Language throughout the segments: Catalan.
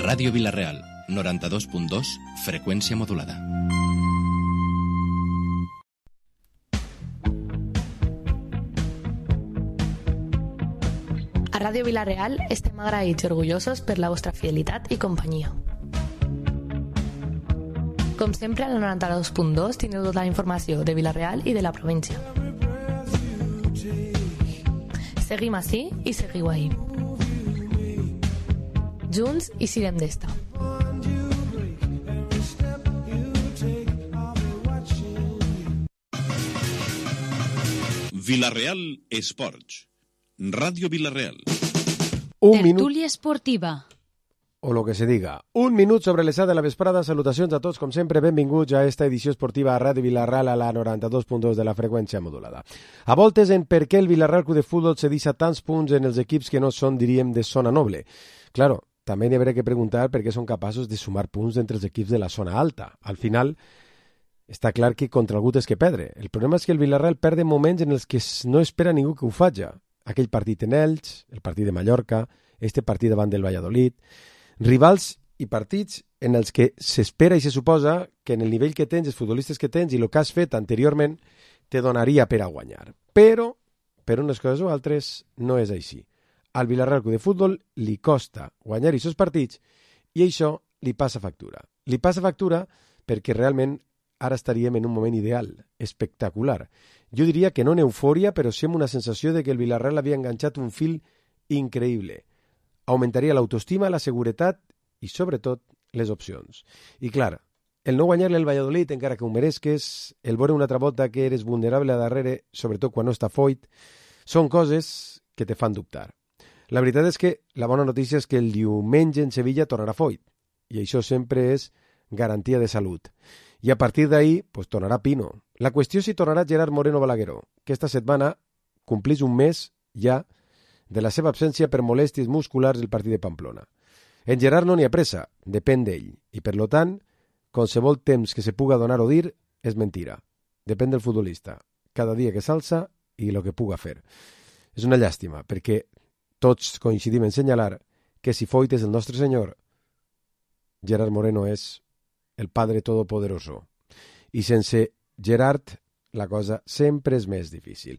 Ràdio Vila-real, 92.2, freqüència modulada. A Ràdio Vila-real estem agraïts i orgullosos per la vostra fidelitat i companyia. Com sempre, al 92.2 tindreu tota la informació de Vila-real i de la província. Seguim ací i seguiu ahí. Junts i sirem d'esta. Vila-real Esports. Ràdio Vila-real. Tertúlia esportiva. O lo que se diga. Un minut sobre les 7 de la vesprada. Salutacions a tots, com sempre. Benvinguts a esta edició esportiva a Ràdio Vila-real a la 92.2 de la freqüència modulada. A voltes en per què el Vila-real Club de Futbol se deixa tants punts en els equips que no són, diríem, de zona noble. Claro, també n'hi haurà que preguntar per què són capaços de sumar punts entre els equips de la zona alta. Al final, està clar que contra algú és que perdre. El problema és que el Vila-real perd moments en els que no espera ningú que ho faci. Aquell partit en Elx, el partit de Mallorca, este partit davant del Valladolid, rivals i partits en els que s'espera i se suposa que en el nivell que tens, els futbolistes que tens i el que has fet anteriorment te donaria per a guanyar. Però, per unes coses o altres, no és així. Al Vila-real Club de Futbol li costa guanyar aquests partits i això li passa factura. Li passa factura perquè realment ara estaríem en un moment ideal, espectacular. Jo diria que no en eufòria, però sí amb una sensació de que el Vila-real havia enganxat un fil increïble. Augmentaria l'autoestima, la seguretat i, sobretot, les opcions. I, clar, el no guanyar-li al Valladolid, encara que ho meresques, el veure una altra volta que eres vulnerable a darrere, sobretot quan no està foit, són coses que te fan dubtar. La veritat és que la bona notícia és que el diumenge en Sevilla tornarà foit, i això sempre és garantia de salut. I a partir d'ahir, pues, tornarà Pino. La qüestió és si tornarà Gerard Moreno Balagueró, que esta setmana complís un mes ja de la seva absència per molèsties musculars del partit de Pamplona. En Gerard no n'hi ha pressa, depèn d'ell, i per lo tant, qualsevol temps que se puga donar o dir és mentira. Depèn del futbolista, cada dia que s'alça i el que puga fer. És una llàstima, perquè tots coincidim en senyalar que si Foyt és el nostre senyor, Gerard Moreno és el Padre Todopoderoso. I sense Gerard, la cosa sempre és més difícil.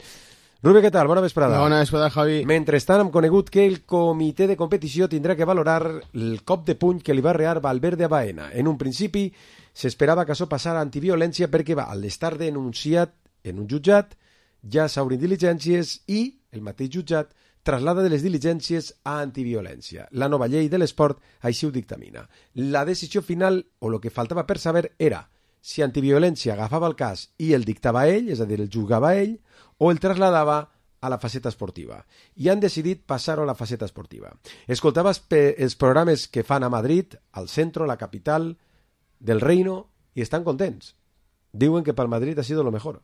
Rubio, què tal? Bona vesprada. Bona vesprada, Javi. Mentrestant, hem conegut que el comitè de competició tindrà que valorar el cop de puny que li va rear Valverde a Baena. En un principi, s'esperava que això passara a antiviolència perquè al estar denunciat en un jutjat ja s'obrin diligències i el mateix jutjat traslada de les diligències a antiviolència. La nova llei de l'esport així ho dictamina. La decisió final, o el que faltava per saber, era si antiviolència agafava el cas i el dictava ell, és a dir, el juzgava ell, o el trasladava a la faceta esportiva. I han decidit passar-ho a la faceta esportiva. Escoltava els programes que fan a Madrid, al centre, la capital del reino, i estan contents. Diuen que pel Madrid ha sido lo mejor.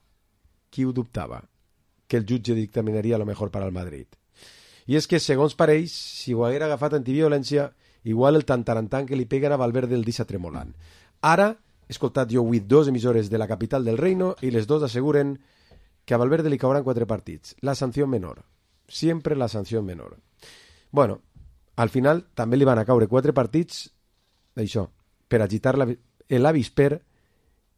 Qui ho dubtava? Que el jutge dictaminaria lo mejor para el Madrid. I és que, segons pareix, si ho haguera agafat antiviolència, igual el tantarantan que li peguen a Valverde el deixa tremolant. Ara, he escoltat jo avui 2 emissores de la capital del reino i les 2 asseguren que a Valverde li cauran 4 partits. La sanció menor. Siempre la sanció menor. Bueno, al final també li van a caure 4 partits d'això, per agitar l'avisper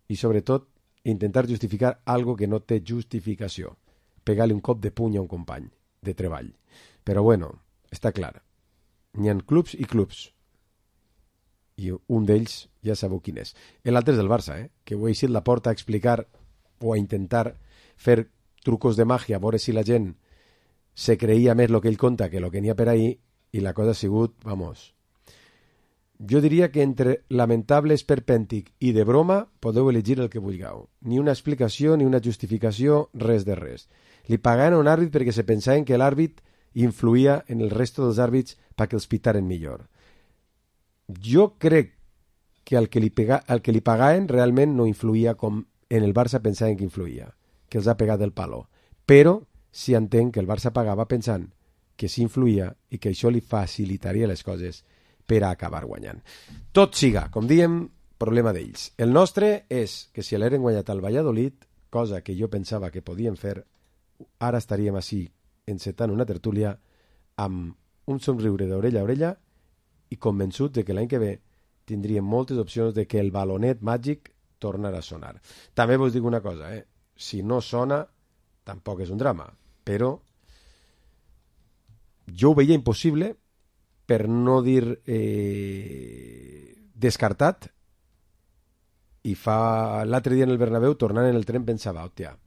i, sobretot, intentar justificar algo que no té justificació. Pegar-li un cop de puny a un company de treball. Però bueno, està clar. N'hi ha clubs i clubs. I un d'ells ja sabeu quin és. L'altre és del Barça, que ho he eixit la porta a explicar o a intentar fer trucos de màgia, a veure si la gent se creia més el que ell conta que el que n'hi ha per ahir, i la cosa ha sigut, vamos, jo diria que entre lamentable, esperpèntic i de broma podeu elegir el que vulgueu. Ni una explicació, ni una justificació, res de res. Li pagaven a un àrbit perquè se pensaven que l'àrbit influïa en el resto dels àrbits perquè els pitaren millor. Jo crec que el que li pagaven realment no influïa com en el Barça pensaven que influïa, que els ha pegat el palo. Però sí entenc que el Barça pagava pensant que sí influïa i que això li facilitaria les coses per a acabar guanyant. Tot siga, com diem, problema d'ells. El nostre és que si l'heren guanyat al Valladolid, cosa que jo pensava que podien fer, ara estaríem així encetant una tertúlia amb un somriure d'orella a orella i convençut de que l'any que ve tindríem moltes opcions de que el balonet màgic tornarà a sonar. També vos dic una cosa, si no sona, tampoc és un drama, però jo ho veia impossible, per no dir descartat, i l'altre dia en el Bernabéu, tornant en el tren, pensava, hòstia,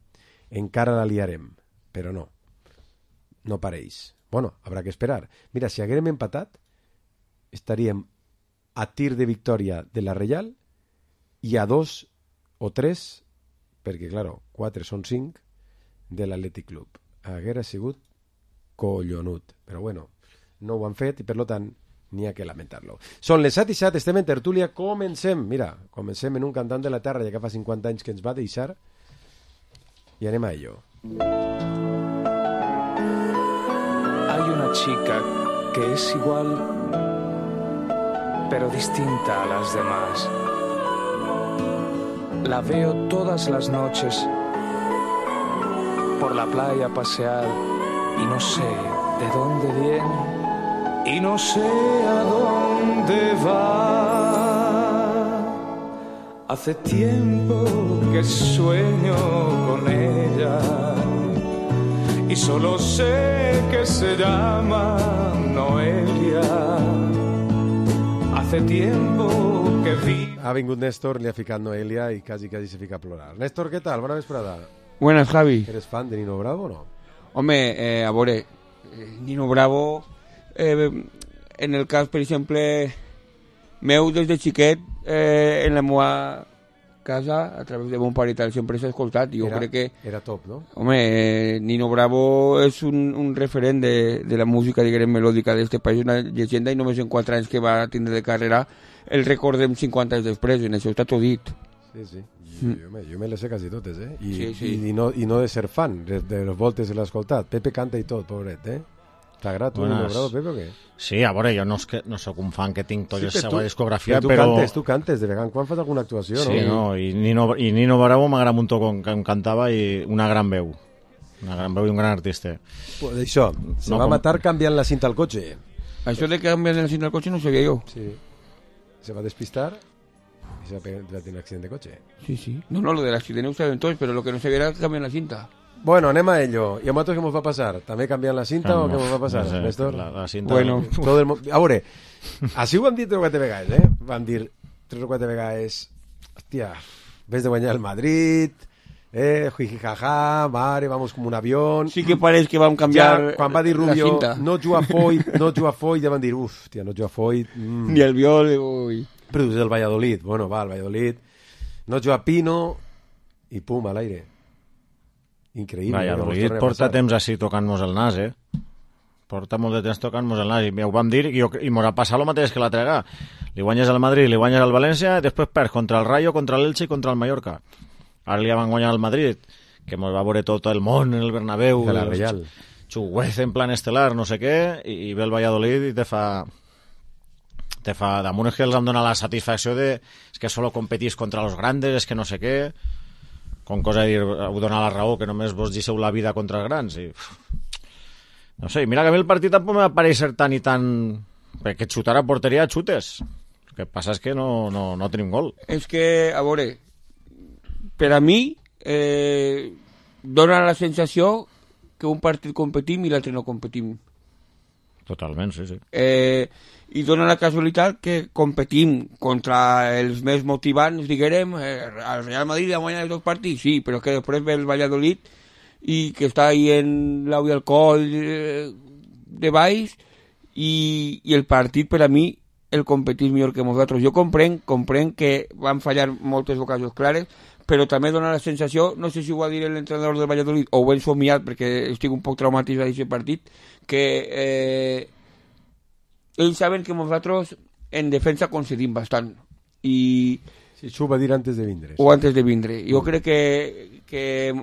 encara la liarem, però no pareix. Bueno, habrá que esperar. Mira, si haguérem empatat, estaríem a tir de victòria de la Reial i a 2 o 3, perquè, claro, 4 són 5, de l'Atlètic Club. Haguera sigut collonut. Però bueno, no ho han fet i, per tant, n'hi ha que lamentar-lo. Són les 7:07, estem en tertúlia, comencem. Mira, comencem en un cantant de la terra, ja que fa 50 anys que ens va deixar, y anem a ello. Hay una chica que es igual, pero distinta a las demás. La veo todas las noches por la playa pasear y no sé de dónde viene y no sé a dónde va. Hace tiempo que sueño con ella y solo sé que se llama Noelia. Hace tiempo que vi... Ha vingut Néstor, li ha ficat Noelia i quasi se fica a plorar. Néstor, què tal? Bona vesprada. Buenas, Javi. ¿Eres fan de Nino Bravo o no? Home, a veure, Nino Bravo, en el cas, per exemple, meu des de xiquet, en la meva casa, a través de mon pare i tal, sempre s'ha escoltat. Jo crec que... Era top, no? Home, Nino Bravo és un referent de la música, diguem, melòdica d'este país, una llegenda, i només en 4 anys que va tindre de carrera el recordem 50 anys després, en això està tot dit. Sí. Jo me les sé quasi totes, I no de ser fan, de les voltes l'he escoltat. Pepe canta i tot, pobret, T'agrada tu, Nino Bravo, Pepe, o què? Sí, a veure, jo no soc un fan que tinc tota la seva discografia, però... Tu cantes, de vegades, quan fas alguna actuació, no? Sí, no, i Nino Bravo m'agrada un muntó com cantava i una gran veu i un gran artista. Pues això, se va matar canviant la cinta al cotxe. Això de canviar la cinta al cotxe no sabia jo. Sí, se va despistar i se va tenir un accident de cotxe. Sí. No, lo del accident ho sabem tots, però lo que no sabia era canviar la cinta. Bueno, anem a ello. ¿Y a nosotros qué nos va a pasar? ¿També canviant la cinta o què nos va a passar, Néstor? La cinta... Bueno, todo el... A veure, així ho vam dir 3 o 4 vegades, Vam dir 3 o 4 vegades, hòstia, ves de guanyar el Madrid, jijijaja, mare, vamos como un avión... Sí que pareix que vam canviar ja, quan va dir Rubio, no juga Foyt, ja van dir, tia, no juga Foyt... Ni el Viol, ui... Però és del Valladolid, bueno, va, el Valladolid... No juga Pino, i pum, a l'aire. Increïble. Valladolid porta temps així tocant-nos el nas, Porta molt de temps tocant-nos el nas, i ho vam dir, i m'ho ha passat el mateix que l'altre vegada. Li guanyes al Madrid, li guanyes al València, i després perds contra el Rayo, contra l'Elche i contra el Mallorca. Ara li van guanyar al Madrid, que mos va veure tot el món en el Bernabéu, de la Reial. Xuguez en plan estel·lar, no sé què, i ve el Valladolid i te fa damunt, és que els han donat la satisfacció de és que solo competís contra los grandes, és que no sé què, com cosa de dir, ho dona la raó, que només vos deixeu la vida contra els grans. I... No sé, mira que a mi el partit tampoc me va pareixer tan i tan... perquè xutar a porteria xutes. El que passa és que no tenim gol. És que, a veure, per a mi dona la sensació que un partit competim i l'altre no competim. Totalment, sí. I dona la casualitat que competim contra els més motivants, diguem, al Real Madrid va guanyar els 2 partits, sí, però que després ve el Valladolid i que està ahí en l'au i el coll de baix i el partit per a mi el competís millor que nosaltres. Jo comprenc que van fallar moltes ocasions clares, però també dona la sensació, no sé si ho va dir l'entrenador del Valladolid o ho he somiat perquè estic un poc traumatitzat d'aquest partit, que ells saben que nosaltres en defensa concedim bastant i... Sí, això ho va dir antes de vindre. O antes de vindre. Jo crec que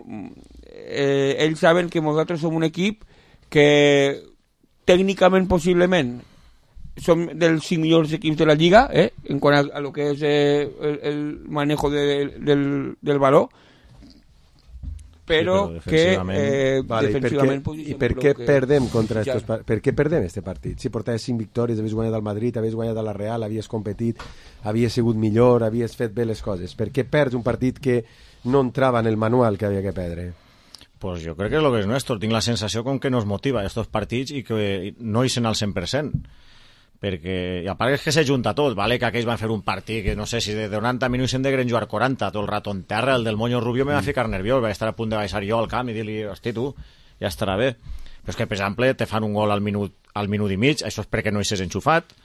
ells saben que nosaltres som un equip que tècnicament possiblement som dels 5 millors equips de la Lliga, en quant a lo que és el manejo del valor, però que defensivament... I per què perdem contra estos per què perdem este partit? Si portaves 5 victòries, havies guanyat al Madrid, havies guanyat a la Real, havies competit, havies sigut millor, havies fet bé les coses. Per què perds un partit que no entrava en el manual que havia que perdre? Pues jo crec que és el que és Néstor. Tinc la sensació com que no es motiva estos partits i que no hi sent al 100%. Perquè, i a part és que s'ajunta tot, vale? Que aquells van fer un partit que no sé si de 90 minuts hem de jugar 40 tot el rato en terra, el del Moño Rubio me va ficar nerviós, vaig estar a punt de baixar jo al camp i dir-li, hosti tu, ja estarà bé, però és que per exemple te fan un gol al minut i mig, això és perquè no hi s'és enxufat,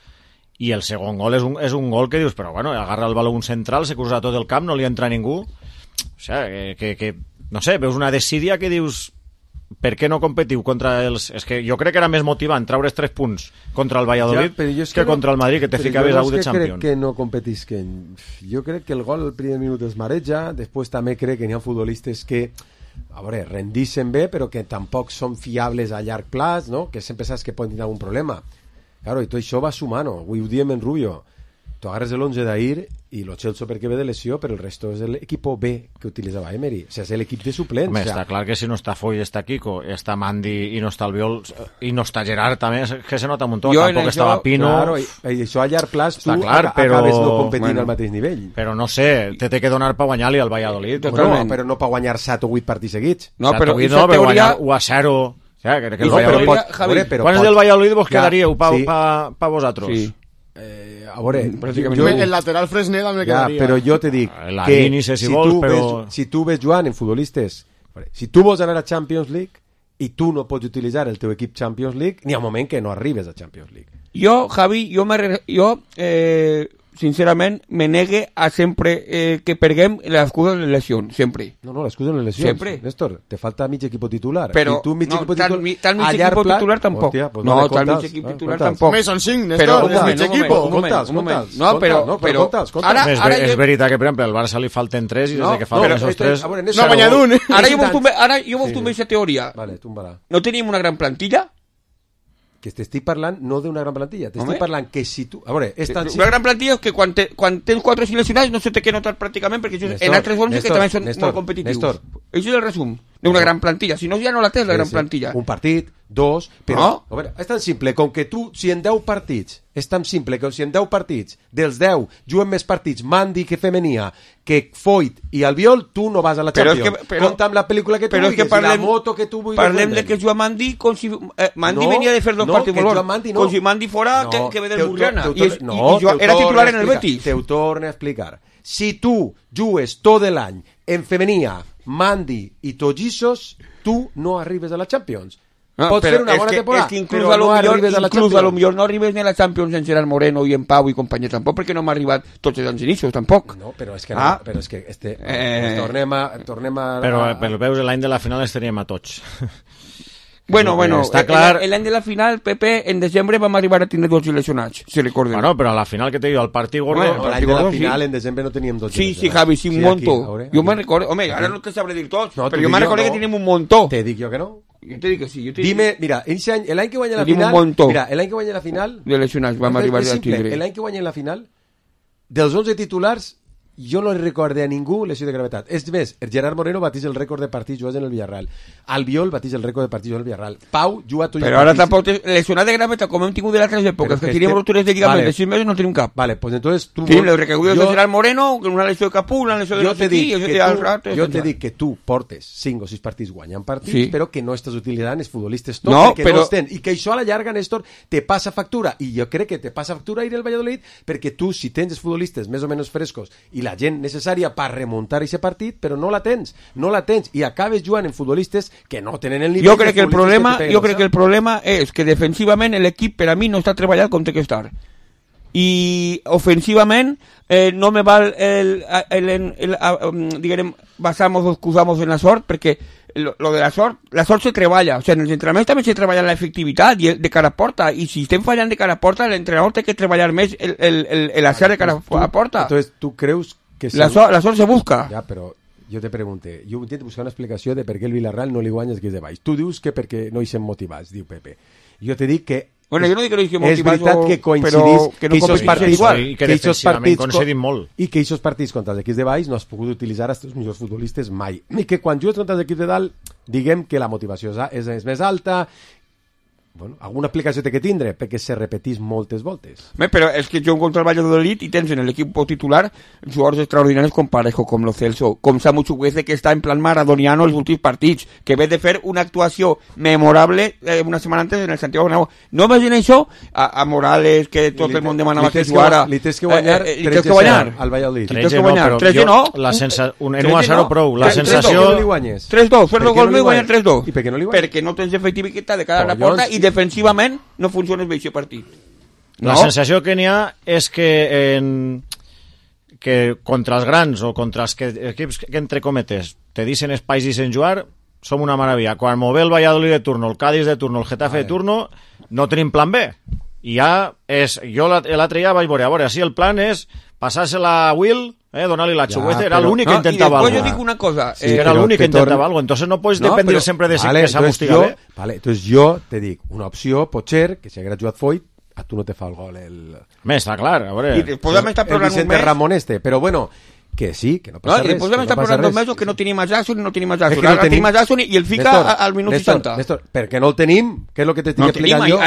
i el segon gol és un gol que dius, però bueno, agarra el baló un central, se cruza tot el camp, no li entra ningú, o sigui, que no sé, veus una desídia que dius, per què no competiu contra els... És que jo crec que era més motivant treure's 3 punts contra el Valladolid que contra el Madrid, que te ficaves a 1 de Champions. Crec que no competisquen. Jo crec que el gol al primer minut es mareja, després també crec que n'hi ha futbolistes que a veure, rendixen bé, però que tampoc són fiables a llarg plaç, no? Que sempre saps que poden tenir algun problema. Claro, i tot això va sumant, avui ho diem en Rubio. Tu agarres l'11 d'ahir i lo Chelsea perquè ve de lesió, però el resto és l'equip B que utilitzava Emery, o sigui, és l'equip de suplents. Home, està clar que si no està Foy, està Kiko, està Mandy i no està Albiol i no està Gerard també, que se nota un muntó, tampoc estava Pino. Claro, i això a llarg plaç tu clar, acabes no competint al mateix nivell. Però no sé, té que donar per guanyar-li al Valladolid. No, però no per guanyar 7 o 8 partits seguits. No, però guanyar 1-0. Ja, que el Valladolid... Quants del Valladolid vos quedaríeu pa vosaltres? Sí. A veure, el lateral Fresnel me quedaria. Però jo te dic que si tu ves jugant en futbolistes, si tu vols anar a Champions League i tu no pots utilitzar el teu equip Champions League, n'hi ha un moment que no arribes a Champions League. Jo, Javi, sincerament me negue a sempre que perguem l'excusa de les lesions, sempre. No, l'excusa de les lesions. Sempre. Néstor, te falta mig equip titular. Però tu mig equip tal mig equip titular tampoc. Hòstia, pues no, tal mig equip titular tampoc. Més són 5, Néstor, mig equip. Conta'ls. No, però és veritat que, per exemple, al Barça li falten 3 i des que falten esos 3... No ha guanyat un. Ara jo vull tombar aquesta teoria. Vale, túmbala. No tenim una gran plantilla? Que t'estic parlant no d'una gran plantilla, t'estic parlant que si tu... A veure, una gran plantilla és que quan tens 4 seleccionats no se té que notar pràcticament perquè en altres 11 que també són molt competitius. Això és el resum d'una gran plantilla, si no ja no la tens la gran plantilla. Un partit, 2, però a veure, és tan simple com que tu, si en 10 partits, és tan simple com si en 10 partits, dels 10 juguen més partits Mandy que Femenia, que Foyt i Albiol, tu no vas a la Champions. Compta amb la pel·lícula que tu vulguis, la moto que tu vulguis. Parlem de que juga Mandy com si Mandy venia de fer 2 partits molt bons, com si Mandy fora que ve del Burriana i era titular en el Betis. Te ho torno a explicar. Si tu jugues tot l'any en Femenia, Mandy i Tollisos, tu no arribes a la Champions. Pots fer una bona temporada, però no arribes a la Champions. Inclús a lo millor no arribes ni a la Champions en Gerard Moreno i en Pau i companyia tampoc, perquè no m'ha arribat tots els inicios, tampoc. No, però és que tornem a... Però veus, l'any de la final els teníem a tots. Bueno, està clar... l'any de la final, Pepe, en desembre vam arribar a tindre 2 lesionats, si recorden. Bueno, però a la final que te diu, el partit gordo... L'any de la final, en desembre no teníem 2 lesionats. Sí, Javi, sí, un montó. Jo me'n recordo... Home, ara no te sabré dir tots, però jo me'n recordo que teníem un montó. Te dic jo que no. Jo te dic que sí. Dime, mira, l'any que guanya la final... Mira, l'any que guanya la final... De lesionats vam arribar a tindre. L'any que guanya la final, dels 11 titulars, jo no li recorde a ningú lesió de gravetat. És més, el Gerard Moreno bateix el rècord de partits jugats en el Villarreal. Albiol bateix el rècord de partits jugats en el Villarreal. Pau juga tot. Però ara tampoc lesionat de gravetat, com hem tingut de l'altres èpoques, que teníem ruptures de lligament de 6 mesos, no tenim cap. Vale, pues entonces tu... Tenim les recaigudes de Gerard Moreno, una lesió de Capú, una lesió de no sé qui... Jo te dic que tu portes 5 o 6 partits guanyant partits, però que no estàs utilitzant els futbolistes tots, perquè no els tens. I que això a la llarga, Néstor, te passa factura. I jo crec que te passa factura ir al Valladolid, perquè tu, si tens els futbolistes més o menys frescos i la gent necessària per remuntar aquest partit, però no la tens i acabes jugant en futbolistes que no tenen el nivell. Jo crec que el problema és que defensivament l'equip per a mi no està treballat com té que estar, i ofensivament no me val diguem, basamos o excusamos en la sort, perquè lo de la sort se treballa, o sea, en els entrenaments també se treballa la efectivitat i de cara a porta, i si estem fallant de cara a porta, l'entrenador té que treballar més l'acer de cara a porta. Entonces, tu creus que la sort se busca. Ja, però jo te pregunte, jo intento buscar una explicació de per què el Villarreal no li guanya els que és de baix. Tu dius que perquè no hi sem motivats, diu Pepe. Jo te dic que Bueno, jo no dic que no hi és veritat que coincidís que no aquests partits igual. I que defensivament coincidim molt. I que aquests partits contra els equips de baix no has pogut utilitzar els teus millors futbolistes mai. I que quan jugues contra els equips de dalt, diguem que la motivació és més alta. Bueno, alguna explicació té que tindre, perquè se repetís moltes voltes. Però és que jo contra el Valladolid i tens en l'equip titular jugadors extraordinaris com Parejo, com Lo Celso, com Samu Chukwueze, que està en plan maradoniano els últims partits, que ve de fer una actuació memorable una setmana antes en el Santiago Bernabéu. No imagina això a Morales, que tot el món demanava que jugara. Li tens que guanyar 3-0 al Valladolid. 3-0 no, però en 1-0 prou. La sensació... 3-2, fer-lo gol meu i guanyar 3-2. I per què no li guanyes? Perquè no tens efectivitat de cara a la porta i defensivament no funciona bé aquest partit. La sensació que n'hi ha és que contra els grans o contra els equips que entre cometes te dicen espais i sen jugar som una meravella. Quan m'ho ve el Valladolid de turno, el Cádiz de turno, el Getafe de turno, no tenim plan B. I ja és... Jo l'altre dia vaig veure, si el plan és passar-se-la a Will, donar-li la Chukwueze, era l'únic que intentava algo. I després jo dic una cosa... Sí, era l'únic que intentava algo, entonces no pots dependre sempre de que s'amustiga bé. Vale, entonces jo te dic, una opció pot ser que si hagués jugat Foyt, a tu no te fa el gol està clar, a veure... I després vam estar programant un mes... Ramon però bueno, que sí, que no passa res. I després vam estar programant 2 mesos que no tenim a Jackson i no tenim a Jackson. Ara tenim a Jackson i el fica al minut 60. Néstor, per què no el tenim? Què és el que t'estic explicant jo?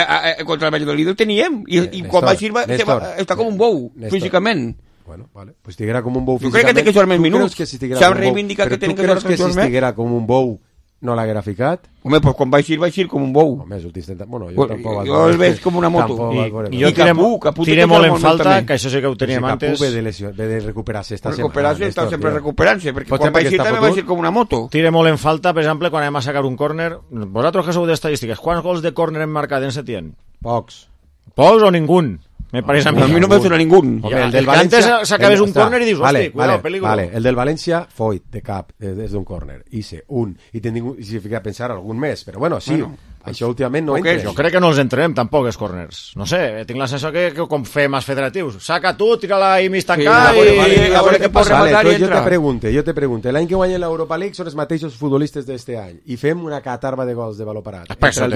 Contra el Valladolid el teníem i quan va Silva està com un bou, físicament. Bueno, vale, pues estiguera com un bou físicament. Jo crec que té que jugar més minuts. S'ha reivindicat que tenen que jugar més minuts. Però tu creus que si estiguera com un bou no l'haguera ficat? Home, pues quan va eixir com un bou. Home, bueno, jo tampoc... Jo el veig com una moto. I jo tiré molt en falta, que això sí que ho teníem antes... Capú ve de recuperar-se, està sempre recuperant-se, perquè quan va eixir també va eixir com una moto. Tiré molt en falta, per exemple, quan anem a sacar un córner... Vosaltres que sou d'estadístiques, quants gols de córner hem marcat en Setién? Pocs o ningú? Me parece a mi no me suena ningún. El del València s'acabés un córner i dius, hosti, cuidado, peligro. Vale, el del València Foyt de cap des d'un córner, hice un i si fica a pensar algun més, però bueno, sí, això últimament no entra. Jo crec que no els entrem tampoc els córners. No sé, tinc la sensació que com fem els federatius, saca tu, tira-la i mig tancar i a veure què pot rematar i entra. Jo te pregunte, l'any que guanyen l'Europa League són els mateixos futbolistes d'este any i fem una catarba de gols de valor parat. Perquè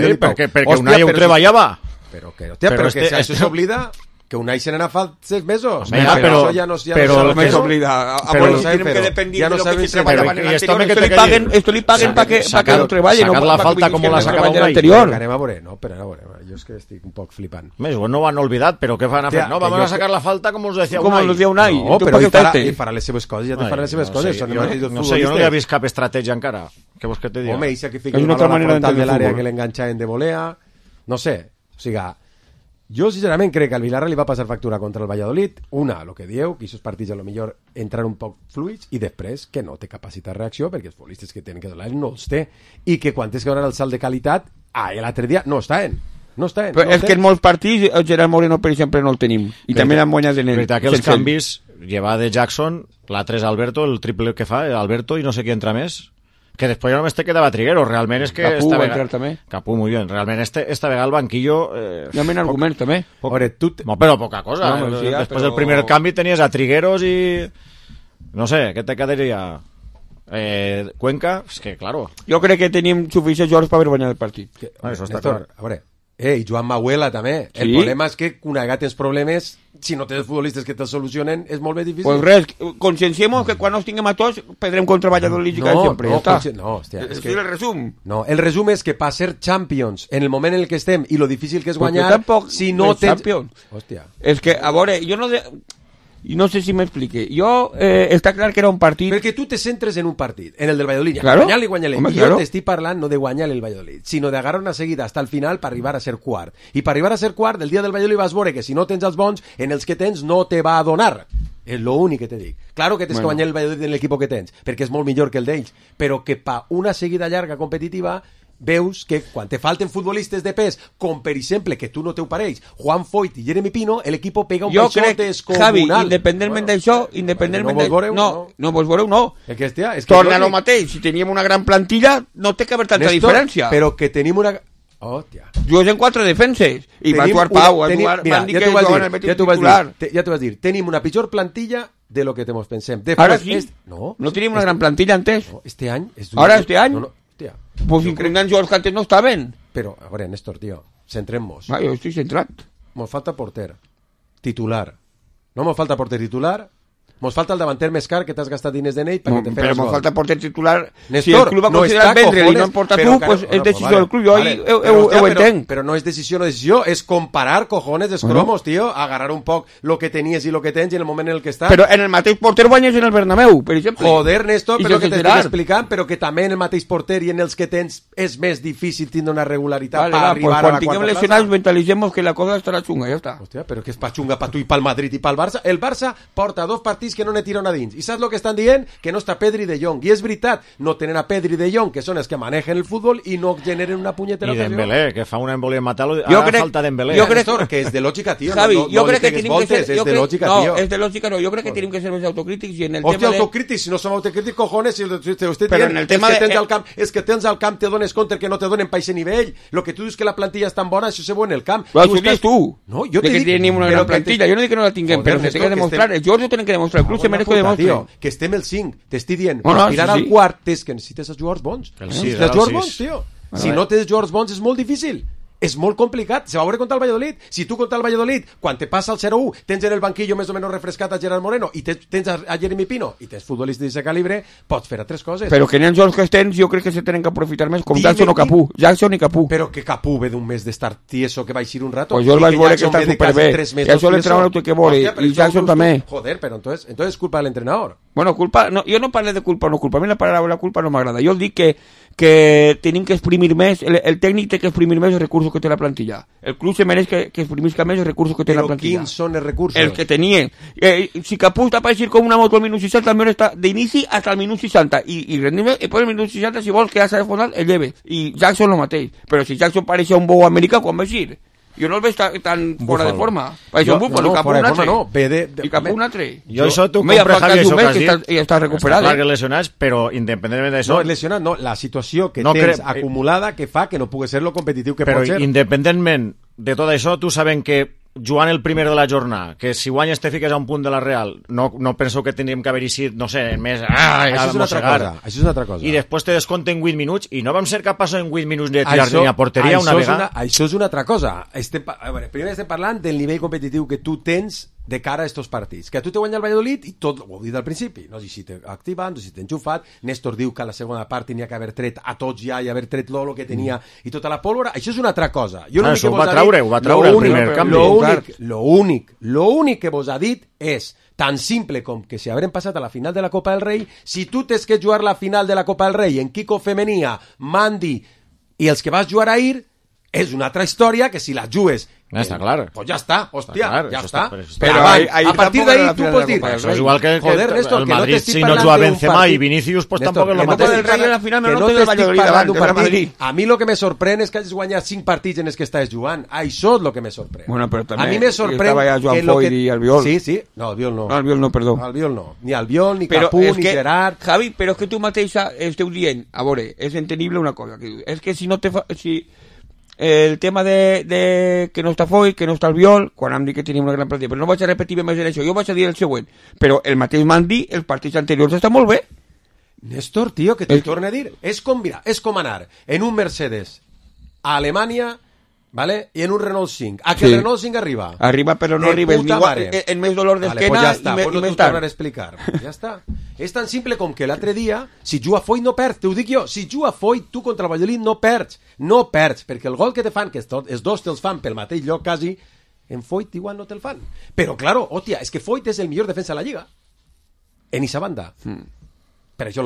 Unai ho treballava. Però que això s'oblida que Unai se n'ha fa 6 mesos. Però no s'oblida. Tenim que dependir de lo que se treballava en l'anterior. Esto li paguen para que no treballi. Sacar la falta com la sacava Unai. Anem a veure, jo és que estic un poc flipant. No ho han olvidat, però què van a fer? No, vamos a sacar la falta com us decía Unai. Com us decía Unai. No, però ell farà les seves coses, ja te farà les seves coses. No sé, jo no hi he vist cap estratègia encara. Què vols que te digui? Home, ell sacrifica una altra frontal de l'àrea que l'enganxaven de volea. No sé, o sigui... Jo, sincerament, crec que al Villarreal li va passar factura contra el Valladolid. Una, el que dieu, que aquests partits a lo millor entrar un poc fluids, i després que no té capacitat de reacció, perquè els futbolistes que tenen que donar no els té, i que quan tens que donar el salt de qualitat, l'altre dia no estaven. Però és que en molts partits el Gerard Moreno, per exemple, no el tenim. I també l'han guanyat en ell. Veritat que els canvis, llevar de Jackson, l'altre és Alberto, el triple que fa, Alberto, i no sé qui entra més. Que després ja només te quedava Trigueros, realment és que... Capú va entrar també. Capú, muy bien, realment esta vegada el banquillo... Ja m'en argument també. No, però poca cosa. Després del primer canvi tenies a Trigueros i... No sé, què te quedaria? Cuenca, és que, claro... Jo crec que tenim suficients jugadors per haver guanyat el partit. Això està clar. A veure, i Joan Mahuela també. El problema és que quan tens problemes, si no tens futbolistes que te'ls solucionen, és molt més difícil. Pues res, conscienciemos que quan nos tinguem a tots perdrem contra Valladolid i sempre. És que el resum. No, el resum és que per ser Champions en el moment en el que estem i lo difícil que és guanyar, si no tens... Champions. Hòstia. És que, a veure, jo no... No sé si m'explique. Jo, està clar que era un partit... Perquè tu te centres en un partit, en el del Valladolid. Claro. Guanyar-li. Jo t'estic parlant no de guanyar el Valladolid, sinó d'agarrar una seguida hasta el final per arribar a ser quart. I per arribar a ser quart, el dia del Valladolid vas veure que si no tens els bons, en els que tens no te va a donar. És l'únic que te dic. Claro que tens que guanyar el Valladolid en l'equip que tens, perquè és molt millor que el d'ells, però que pa una seguida llarga competitiva... veus que quan te falten futbolistes de pes, com per exemple, que tu no te ho pareix, Juan Foyt i Jeremy Pino, l'equip pega un baixó descomunal. Javi, independentment d'això, no vos veureu, no. Torna lo mateix, si teníem una gran plantilla, no té que haver tanta diferència. Però que tenim una... Hòstia. Jugues en 4 defenses, i va actuar Pau, van dir que jugaven el Betis titular. Ja t'ho vas dir, tenim una pitjor plantilla de lo que te mos pensem. Ara sí, no tenim una gran plantilla antes. Este any... Ara, este any... Pues increïblement jugadors que antes no estaven. Però, a veure, Néstor, tio, centrem-nos. Jo estic centrat. Mos falta porter titular. No mos falta porter titular. Mos falta el davanter més car que t'has gastat diners d'en ell perquè te però mos falta porter titular. Néstor, si el club va considerar vendre'l i no en porta tu, pues és decisió del club. Jo ho entenc. Però no és decisió, és comparar, cojones, els cromos, tio, agarrar un poc lo que tenies i lo que tens i en el moment en el que estàs. Però en el mateix porter guanyes en el Bernabéu, per exemple. Joder, Néstor, però que t'estic explicant, però que també en el mateix porter i en els que tens és més difícil tindre una regularitat per arribar a la quarta plaça. Quan tinguem lesionats mentalitzem que la cosa estarà xunga, ja està. Hòstia, però que és pa xunga pa tu i pel Madrid i pel Barça. El Barça porta 2 partits que no ne tira una dins. I saps el que estan dient? Que no està Pedri de Jong. I és veritat, no tenen a Pedri de Jong, que són els que manegen el futbol i no generen una punyetera ocasió. I Dembélé, que fa una embòlia en matar-lo. Ara falta Dembélé. Jo crec que és de lògica, tio. Javi, jo crec que tenim que ser... És de lògica, tio. No, és de lògica, no. Jo crec que tenim que ser més autocrítics i en el tema de... Hòstia, autocrítics, si no som autocrítics, cojones, però en el tema és que tens al camp, te dones compte que no te donen pa ese nivell. Lo que tu dius que la plantilla és tan bona, això se veu en el camp. Però això dius tu. No, jo te dic... que tenim una gran plantilla. Jo no dic que no la tinguem, però se té que demostrar. Els jugadors ho tenen que demostrar. El club se mereix que demostri. Que estem el 5. T'estic dient, per aspirar al quart és que necessites els jugadors bons. Els jugadors bons, tio. Si no tens jugadors bons és molt difícil. És molt complicat, se va veure contra el Valladolid. Si tu contra el Valladolid, quan te passa el 0-1, tens en el banquillo més o menys refrescat a Gerard Moreno i tens a Jeremy Pino i tens futbolistes d'aquest calibre, pots fer altres coses. Però que en els jocs que tens jo crec que se tenen que aprofitar més, com Jackson o Capú. Jackson i Capú. Però que Capú ve d'un mes d'estar tieso que va eixir un rato. Pues jo el vaig veure que està superbé. Jackson l'entrenador no té que veure i Jackson també. Joder, però entonces és culpa de l'entrenador. Bueno, culpa, no, jo no parlo de culpa o no culpa, a mi la paraula culpa no m'agrada. Jo dic que tenim que exprimir més, el tècnic té que exprimir més els recursos que té la plantilla. El club se mereix que exprimisca més els recursos que té la plantilla. Però quins són els recursos? El que tenia. Si Capú està per eixir com una moto al minut 60, almenys està d'inici fins al minut 60. I rendim, i per el minut 60, si vols que ja s'ha de fondar, el lleve. I Jackson el mateix. Però si Jackson pareixia un bou americà, quan va eixir? Jo no el veig tan fora de forma. Pareixia un búfalo, Capú un altre. I Capú un altre. Jo això t'ho compre, Javi, això que has dit. I està recuperat. Està clar que lesionats, però independentment d'això... No, lesionat no, la situació que tens acumulada que fa que no pugui ser lo competitiu que pot ser. Però independentment de tot això, tu sabem que jugant el primer de la jornada, que si guanyes te fiques a un punt de la Real, no penseu que tindríem que haver-hi sigut, no sé, més... Això és una altra cosa. I després te descompten 8 minuts i no vam ser capaços en 8 minuts de tirar-li a porteria una vegada. Això és una altra cosa. Primer estem parlant del nivell competitiu que tu tens de cara a estos partits. Que a tu te guanya el Valladolid i tot, ho he dit al principi, no sé si t'he activat, no sé si t'he enxufat. Néstor diu que a la segona part tenia que haver tret a tots ja i haver tret lo que tenia i tota la pólvora. Això és una altra cosa. Això ho va treure el primer canvi. Lo únic que vos ha dit és tan simple com que si haurem passat a la final de la Copa del Rei, si tu tens que jugar la final de la Copa del Rei en Kiko Femenia, Mandi i els que vas jugar ahir, és una altra història que si la jugues està clar. Pues ja està, hòstia, ja està. Però a partir d'ahí tu pots dir... Això és igual que el Madrid, si no juga Benzema i Vinicius, pues tampoc és el mateix. Que no t'estic parlant d'un partit. A mi el que me sorprèn és que hagis guanyat 5 partits en els que estàs jugant. Això és el que me sorprèn. A mi me sorprèn... Estava ja Joan Foyt i Albiol. Sí. No, Albiol no. Albiol no, perdó. Albiol no. Ni Albiol, ni Capú, ni Gerard... Javi, però és que tu mateixa esteu dient, a veure, és entendible una cosa, és que si no te fa... El tema de que no està Foyt, que no està Albiol, quan hem dit que tenim una gran plantilla, però no vaig a repetir més en això, jo vaig a dir el següent, però el mateix Mandi, els partits anteriors està molt bé. Néstor, tio, que t'ho torne a dir, és com anar en un Mercedes a Alemanya, ¿vale? Y en un Renault 5. ¿A que el Renault 5 arriba? Arriba, pero no arriba. En més dolor d'esquena i més tard. Pues explicar. Ja està. És tan simple com que l'altre dia, si juga Foyt no perds, t'ho dic jo, si juga Foyt tu contra el Valladolid no perds, perquè el gol que te fan, que els dos te'ls fan pel mateix lloc quasi, en Foyt igual no te'l fan. Però, claro, hòstia, és que Foyt és el millor defensa de la Lliga. En esa banda. Per això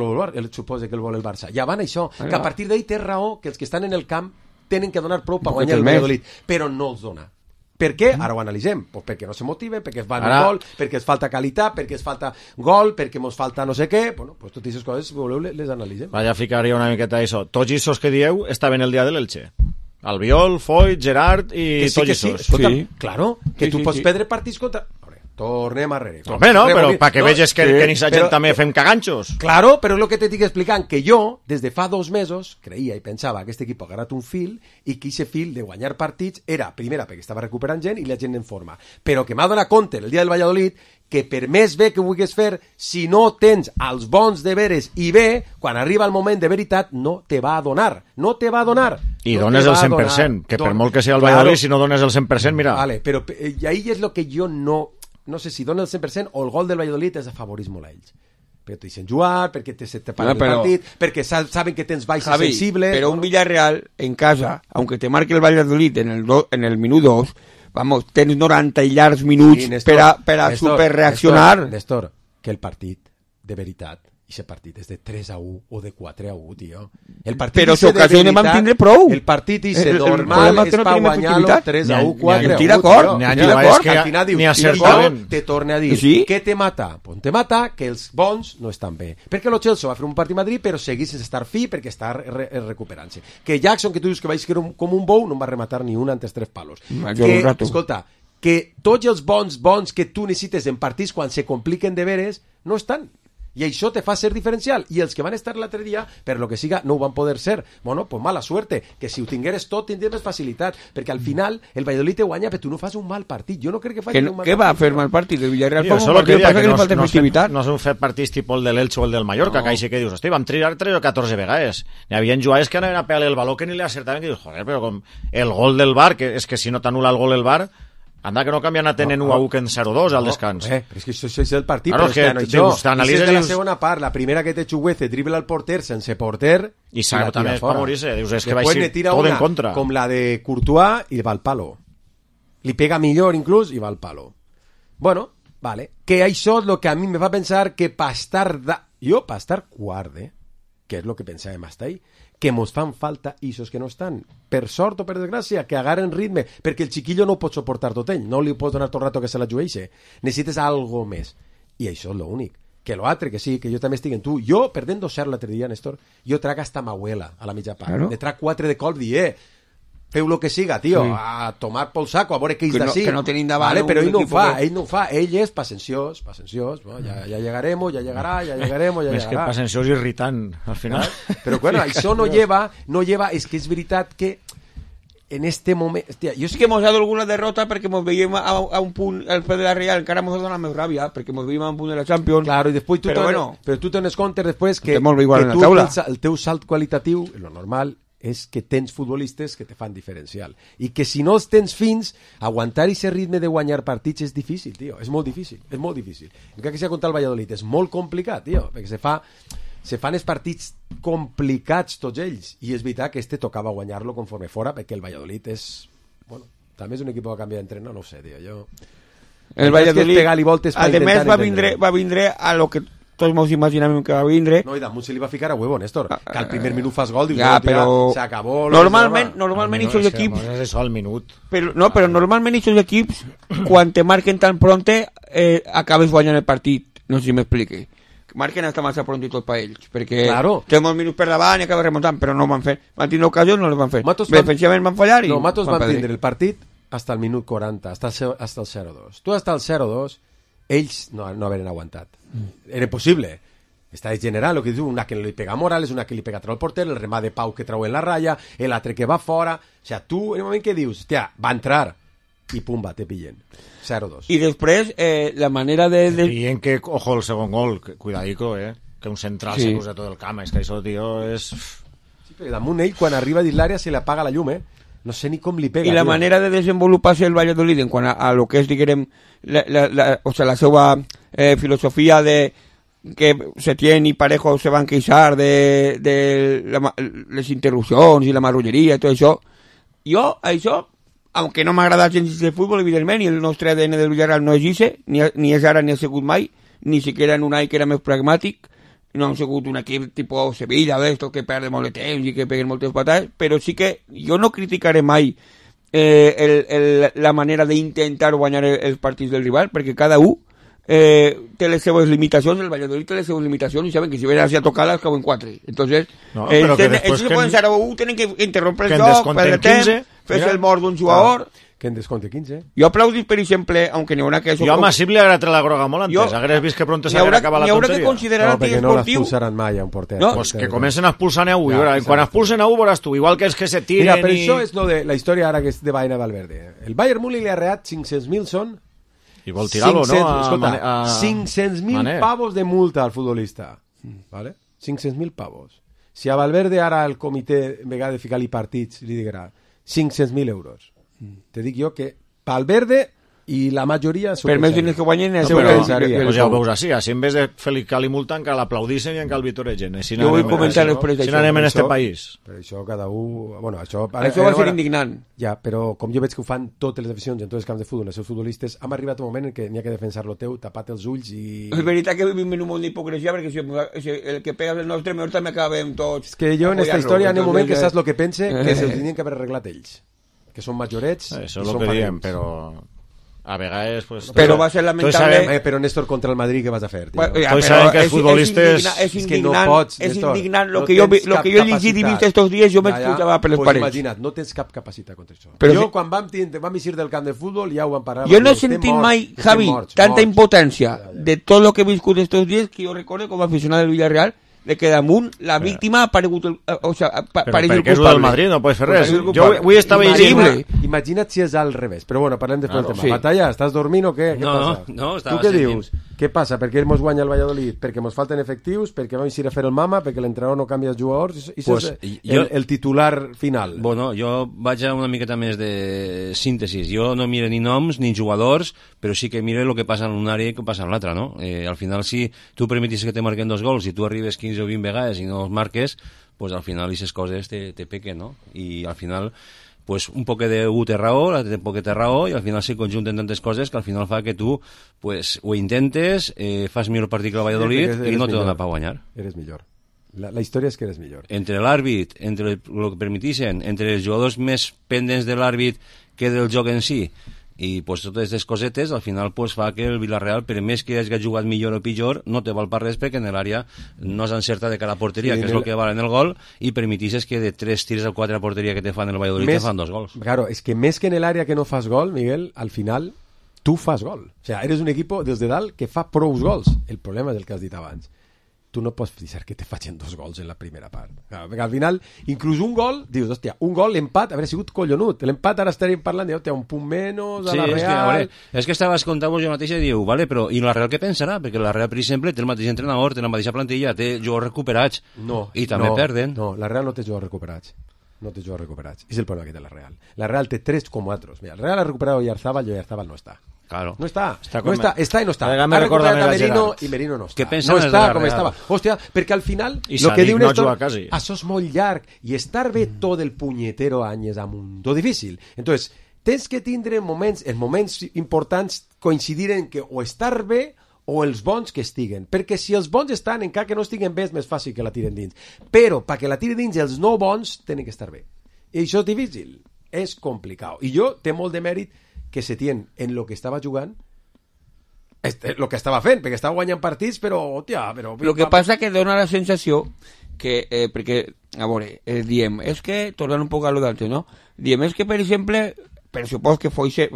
suposa que el vol el Barça. Ja van això, que a partir d'ahí té raó que els que estan en el camp tenen que donar prou per guanyar el Valladolid, però no els dona. Per què? Ara ho analitzem. Pues perquè no se motiven, perquè es van un gol, perquè es falta qualitat, perquè es falta gol, perquè ens falta no sé què. Bueno, pues totes aquestes coses, si voleu, les analitzem. Vaja, ficaria una miqueta això. Tots aquests que dieu estaven el dia de l'Elche. Albiol, Foyt, Gerard i tots aquests. Sí, claro, que tu pots perdre partits contra... tornem arrere. Home, no, però perquè veges que ni sa gent també fem caganxos. Claro, però és el que t'estic explicant, que jo, des de fa 2 mesos, creia i pensava que aquest equip ha agarrat un fil i que aquest fil de guanyar partits era, primera, perquè estava recuperant gent i la gent en forma, però que m'ha donat compte el dia del Valladolid que per més bé que vulguis fer, si no tens els bons deberes i bé, quan arriba el moment de veritat, no te va a donar. No te va a donar. I dones el 100%, que per molt que sigui el Valladolid, si no dones el 100%, mira... Vale, però ahí és el que jo no sé si dona el 100% o el gol del Valladolid és afavoris molt a ells. Perquè t'hi deixen jugar, perquè se te paga el partit, perquè saben que tens baixes sensibles... Però un Villarreal en casa, aunque te marque el Valladolid en el minut 2, vamos, tens 90 i llargs minuts per a superreaccionar. Néstor, que el partit, de veritat, i aquest partit és de 3-1 o de 4-1, tio. El partit però s'ocasiones vam tindre prou. El partit és normal, és per guanyar-lo 3-1, 4-1. Estic d'acord. Ni acertaven. Te torne a dir, què te mata? Pues te mata que els bons no estan bé. Perquè el Chelsea va fer un partit a Madrid, però seguís sense estar fi perquè està recuperant-se. Que Jackson, que tu dius que vaig ser com un bou, no em va rematar ni una antes 3 palos. Escolta, que tots els bons que tu necessites en partits quan se compliquen de veres, no estan. I això te fa ser diferencial, i els que van estar l'altre dia, per lo que siga, no ho van poder ser. Bueno, pues mala suerte, que si ho tingueres tot tindries més facilitat, perquè al final el Valladolid te guanya, però tu no fas un mal partit. Jo no crec que facis un mal partit. Què va fer mal partit? El Villarreal fa un partit, passa que li falta efectivitat. No s'han fet partits tipus el de l'Elche o el del Mallorca, que així que dius, hosti, vam triar 3 o 14 vegades. Hi havia jugadors que anaven a pegar el baló que ni li acertaven, que dius, joder, però com el gol del VAR, que és que si no t'anul·la el gol del VAR, anda que no canvien a tenir 1-1 que en 0-2 al descans. Però és que això és el partit. Claro, però és que t'analitzes... És de la segona part, la primera que té Chuguece, dribla al porter sense porter... I Sago també és per morir-se. Dius, és que va ser tot en contra. Com la de Courtois i va al palo. Li pega millor inclús i va al palo. Bueno, vale. Que això és el que a mi me fa pensar que per estar... Jo, per estar quart, que és el que pensàvem hasta ahí, que mos fan falta isos que no estan, per sort o per desgràcia, que agarren ritme, perquè el xiquillo no pot suportar tot ell, no li pot donar tot el rato que se la jueixe, necessites algo més, i això és l'únic, que l'altre, que sí, que jo també estic en tu, jo, perdent 2-0 l'altre dia, Néstor, jo trac hasta m'abuela a la mitja part, ne trac 4 de colp, feu lo que siga, tio, a tomar pel saco, a veure què és d'ací. Que no tenim davant. Vale, però ell no ho fa, ell és pacenciós, bueno, ja llegaremos, ja llegaremos. Més que pacenciós irritant, al final. Però bueno, això no lleva, és que és veritat que en este moment... Hòstia, jo sí que hemos dado alguna derrota perquè ens veiem a un punt el Fede de la Real, encara ens ha donat més ràbia perquè ens veiem a un punt de la Champions. Claro, i després però tu tenes compte després que el teu salt qualitatiu, lo normal és que tens futbolistes que te fan diferencial i que si no els tens fins, aguantar aquest ritme de guanyar partits és difícil, tio, és molt difícil. Encara que sigui contra el Valladolid és molt complicat, tio, perquè se fan els partits complicats tots ells, i és veritat que tocava guanyar-lo conforme fora, perquè el Valladolid és, bueno, també és un equip que canvia d'entrenador, no ho sé, tio, jo... El Valladolid, además va vindre a lo que tots ens imaginem que va vindre. No, i damunt se li va ficar a huevo, Néstor, que al primer minut fas gol, dius, però s'acabó... Normalment aquests equips... No és això al minut. Però normalment aquests equips, quan te marquen tan pronte, acabes guanyant el partit. No sé si m'explique. Marquen hasta massa prontitos per ells, perquè té molts minuts per davant i acaba remuntant, però no van fer. Van tindre ocasions, no les van fer. Defensivament van fallar i... No, Matos van tindre el partit hasta el minut 40, hasta el 0-2. Tu hasta el 0-2, ells no haveren aguantat. Era impossible. Està general, el que diu, una que li pega a Morales, una que li pega a trau el porter, el remat de Pau que trau en la ratlla, l'altre que va fora. O sigui, tu, en el moment que dius, hòstia, va entrar, i pumba, te pillen. 0-2. I després, la manera de... Pillen que, ojo, el segon gol, cuidadico, que un central se posa tot el camp, és que això, tio, és... Sí, però damunt ell, quan arriba dins l'àrea, se li apaga la llum, No sé ni com li pega. I la manera de desenvolupar-se el Valladolid en quant a lo que és, diguem, la seva filosofia de que Setién i Parejo se van queixar de les interrupcions i la marrulleria i tot això. Jo, això, aunque no m'agrada gens de futbol, evidentment, i el nostre ADN del Villarreal no és ixe, ni és ara ni ha sigut mai, ni siquiera en un any que era més pragmàtic, no han sigut un equip tipus Sevilla o d'esto que perde molt de temps i que peguen moltes patades, però sí que jo no criticaré mai la manera d'intentar guanyar els partits del rival, perquè cada un té les seves limitacions, el Valladolid té les seves limitacions i saben que si ven a tocar-les cauen 4. Entonces, ells se poden ser un, tenen que interrompre el joc, perdre temps, fer-se el mort d'un jugador... Que en descompte 15. Jo aplaudis, per exemple, aunque n'hi haurà que... Jo a Masip li agradat la groga molt antes. Hagués vist que pronto s'hagués acabat la tonteria. N'hi haurà que considerar perquè no l'expulsaran mai a un porter. No, pues que comencen a expulsar a un. Quan expulsen a un veuràs tu, igual que els que se tiren. Mira, però això és la història ara que és de Baena Valverde. El Bayern Múnich li ha reat 500.000 són... I vol tirar-lo, no? Escolta, 500.000 pavos de multa al futbolista. ¿Vale? 500.000 pavos. Si a Valverde ara el comitè, en vegada de ficar-li partits, li dirà 500.000 euros. Te dic jo que Valverde i la majoria... Per més diners que guanyen... Pues ja ho veus així, si en vez de fer-li multa encara l'aplaudissin i encara el vitoregen. Jo vull comentar després d'això. Si n'anem en este país. Per això cada un... Bueno, això va ser indignant. Ja, però com jo veig que ho fan totes les aficions en tots els camps de futbol, els seus futbolistes, hem arribat un moment en què n'hi ha que defensar-lo teu, tapat els ulls i... És veritat que vivim en un món d'hipocresia, perquè si el que pega el nostre, millor també acabem tots... És que jo en esta història, en un moment que saps el que pense, que se'ls tenien que haver arreglat ells. Que són majorets... Això és el que diem, però... A vegades, pues... Però va ser lamentable... Però Néstor contra el Madrid, què vas a fer? Tots saben que els futbolistes... És indignant. Lo que jo he llegit i vist estos dies, jo m'expulsava per les parets. Imagina't, no tens cap capacitat contra això. Jo, quan vam eixir del camp de futbol, ja ho vam parar. Jo no he sentit mai, Javi, tanta impotència de tot el que he viscut estos dies que jo recordo com a aficionat del Villarreal de que damunt la víctima ha aparegut o sea, pareix el culpable. Perquè és del Madrid, no pots fer res. Jo avui estava llegint... Imagina't si és al revés. Però bueno, parlem després del tema. Batalla, estàs dormint o què? Què passa? No, tu què dius? Què passa? Per què mos guanya el Valladolid? Perquè mos falten efectius? Perquè vam eixir a fer el mama? Perquè l'entrenador no canvia els jugadors? I pues, és el titular final. Bueno, jo vaig a una miqueta més de síntesis. Jo no mire ni noms ni jugadors, però sí que mire el que passa en una àrea i el que passa en l'altra, no? Al final, si tu permetis que te marquen 2 gols i tu arribes 15 o 20 vegades i no els marques, pues al final aquestes coses te pequen, no? I al final, pues un poc de un té raó, l'altre poc té raó, i al final se conjunten tantes coses que al final fa que tu pues ho intentes, fas millor partit que el Valladolid i no te dona per guanyar. Eres millor. La història és que eres millor. Entre l'àrbit, entre el que permetixen, entre els jugadors més pendents de l'àrbit que del joc en si, i pues, totes aquestes cosetes al final pues, fa que el Villarreal, per més que hagi jugat millor o pitjor, no te val per res perquè en l'àrea no s'encerta de cara a porteria, que és el que val en el gol, i permetixes que de 3 tirs a 4 a porteria que te fan el Valladolid te fan 2 gols. Claro, és que més que en l'àrea que no fas gol, Miguel, al final tu fas gol. O sea, eres un equipo des de dalt que fa prous gols. El problema és el que has dit abans. Tu no pots deixar que te facin 2 gols en la primera part. Claro, perquè al final, inclús un gol, dius, hòstia, un gol, l'empat, hauria sigut collonut. L'empat ara estaríem parlant de, hòstia, un punt menys a la Real... És que estaves contant-vos jo mateix i diu, vale, però i la Real què pensarà? Perquè la Real, per exemple, té el mateix entrenador, té la mateixa plantilla, té jugadors recuperats, i també perden. No, la Real no té jugadors recuperats. No té jugadors recuperats. És el problema que té la Real. La Real té 3 com 4. Mira, la Real ha recuperat Oyarzábal i Oyarzábal no està. Claro. No està i no està. Ha recuperat a Merino i Merino no està. Què pensen no està com Real? estava. Hòstia, perquè al final lo que diu Néstor, això és molt llarg i estar bé tot el punyetero any és amunt difícil. Entonces, tens que tindre moments, els moments importants coincidir en que o estar bé o els bons que estiguen, perquè si els bons estan, encara que no estiguen bé, és més fàcil que la tiren dins, però perquè la tiren dins els no bons tenen que estar bé, i això és difícil, és complicat, i jo té molt de mèrit que Setién en lo que estava jugant lo que estava fent, perquè estava guanyant partits, però, hòstia... El que passa que dona la sensació que, perquè, a veure, diem, és que, tornant un poc a lo d'altre, no? Diem, és que, per exemple, per supos que Foyse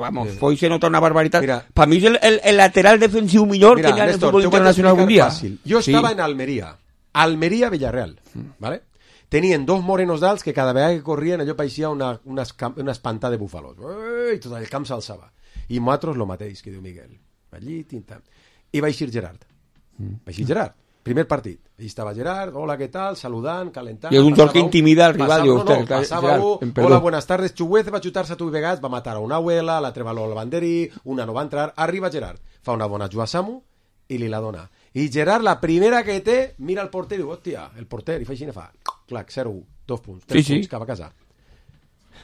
nota una barbaritat. Per mi és el lateral defensiu millor que hi ha en el futbol internacional algun dia. Jo estava en Almeria, Villarreal, ¿vale? Tenien 2 morenos d'alts que cada vegada que corrien allò pareixia una espantada de búfalos. I tot el camp s'alçava. I nosaltres lo mateix, que diu Miguel. Allí, tinta. I va eixir Gerard. Primer partit. Ahí estava Gerard, hola, què tal, saludant, calentant. I és un joc que intimida al rival. Passava hola, buenas tardes, Chuguez va xutar-se a tu vegades, va matar a una abuela, l'altre baló al banderí, una no va entrar, arriba Gerard, fa una bona jugada a Samu i li la dona. I Gerard, la primera que té, mira el porter i diu, hòstia, el porter, i fa així, fa, clac, 0-1, 2 punts, 3 punts, cap a casa.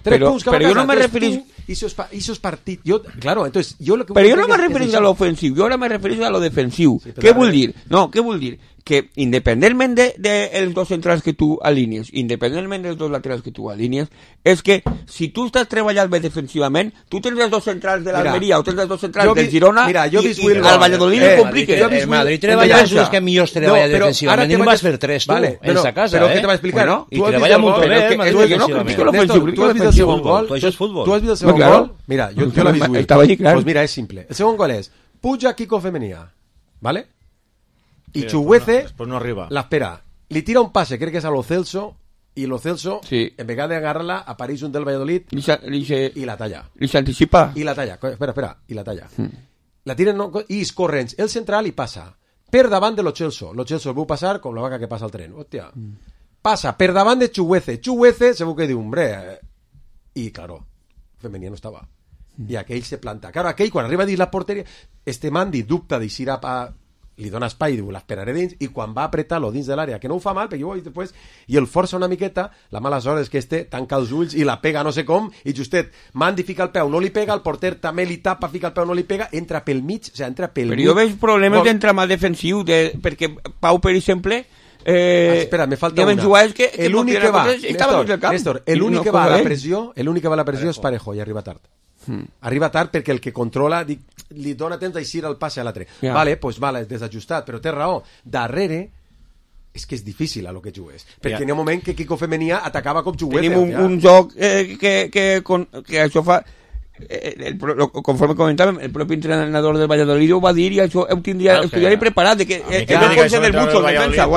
3 punts cap a casa. Però jo no me referís... Esos partidos, pero yo no me referís a lo ofensivo, yo ahora me referís a lo defensivo. ¿Qué vull dir? No, ¿qué vull dir? que independentment dels dos centrals que tu alinees, independentment dels dos laterals que tu alinees, és que si tu estàs treballant bé defensivament, tu tens els dos centrals de l'Almeria o tens els dos centrals del Girona i al Valladolid li compliques. El Madrid treballa els que millors treballa defensivament i no vas fer tres tu, en sa casa. Però què te va explicar? I treballa molt bé el Madrid defensivament. Tu has vist el segon gol? Tu has vist el segon gol? Mira, jo l'he vist avui. Pues mira, és simple. El segon gol és puja Kiko Femenia, ¿vale? Y Chuguece no arriba. La espera. Le tira un pase, creo que es a Lo Celso, y Lo Celso, en vez de agarrarla, aparece un del Valladolid y la talla. ¿Y se anticipa? Y la talla. Espera, y la talla. La tiren y corren el central y pasa. Per davant de Lo Celso. Lo Celso el va pasar con la vaca que pasa al tren. Hostia. Pasa per davant de Chuguece. Chuguece se busca de hombre. Y claro, Femenia no estaba. I aquell se planta. Claro, aquell, quan arriba dins la porteria, Mandi dubta d'eixir li dona espai, diu, l'esperaré dins, i quan va apretar-lo dins de l'àrea, que no ho fa mal, perquè després, i el força una miqueta, la mala sort és que tanca els ulls i la pega no sé com, i justet, Mandi fica el peu, no li pega, el porter també li tapa, fica el peu, no li pega, entra pel mig, o sigui, entra pel mig. Però jo veig problemes d'entramat defensiu, perquè Pau, per exemple, espera, me falta una. L'únic que va, Néstor, l'únic que va a la pressió, és Parejo, i arriba tard. Arriba tard perquè el que controla li dona temps d'eixir el passe a l'altre. Vale, és desajustat, però té raó. Darrere és que és difícil a lo que jugues, perquè n'hi ha un moment que Kiko Femenia atacava com juguete. Tenim un joc que això fa conforme comentàvem, el propi entrenador del Valladolid ho va dir i això ho tindria preparat de que no pot ser del mucho en defensa,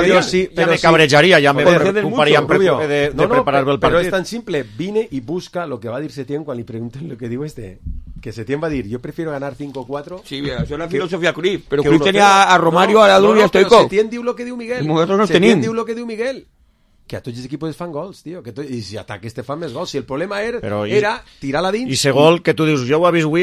ja me cabrejaria, ja me preocuparia de preparar el partit. Però és tan simple, vine i busca lo que va dir Setién quan li pregunten lo que diu que Setién va dir, yo prefiero ganar 5-4. Sí, això és la filosofia Cruyff, però Cruyff tenia a Romario, a Adu i a Stoichkov. Setién diu lo que diu Miguel. Setién diu lo que diu Miguel. Que a tots els equipos fan gols, tio. I si ataques te fan més gols. Si el problema era tirar-la dins... I ese gol que tu dius, jo ho he vist avui,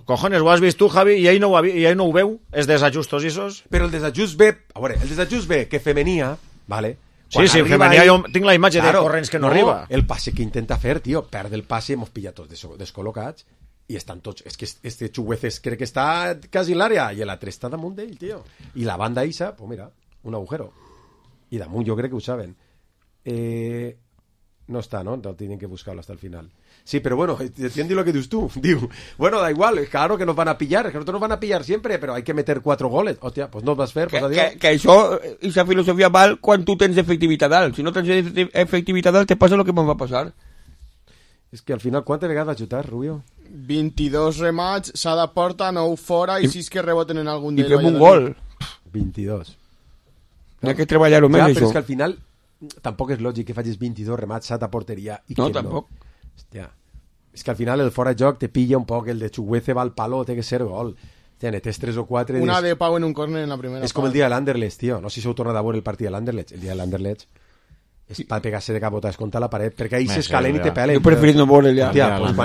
cojones, ho has vist tu, Javi, i ell no ho veu, els desajustos isos. Però el desajust ve... A veure, el desajust ve que Femenia, vale? Sí, Femenia jo tinc la imatge de corrents que no arriba. El passe que intenta fer, tio, perd el passe, hemos pillat tots descol·locats, i estan tots... És que este Chugueces crec que està quasi en l'àrea, i l'altre està damunt d'ell, tio. I la banda isa, pues mira, un agujero. I damunt jo crec que ho saben. No está, ¿no? Tienen que buscarlo hasta el final. Sí, pero bueno, entiende lo que dices tú. Digo, bueno, da igual, claro que nos van a pillar, que nosotros nos van a pillar siempre, pero hay que meter 4 goles. Hostia, pues no vas a fer, pues adiós. Que això, esa filosofia val quan tu tens efectivitat alt. Si no tens efectivitat alt, te passa lo que ens va passar. És que al final, quantes vegades va xutar, Rubio? 22 remats, s'ha de porta, 9 fora i 6 que reboten en algun del Valladolid. I fem un gol. 22. Hi ha que treballar-ho més, ja, això. Però és que al final tampoc és lògic que facis 22 remats a porteria i no, que tampoc. Hòstia. És que al final el fora de joc te pilla un poc, el de Chuguece va al palo, té que ser gol. Hòstia, netes 3 o 4... Una de Pau en un córner en la primera. És com el dia de l'Anderlecht, tio. No sé si s'heu tornat a veure el partit de l'Anderlecht. El dia de l'Anderlecht és per pegar-se de capotes contra la paret, perquè ahí s'escalen i te pelen. Jo preferit no veure ja. Hòstia, pues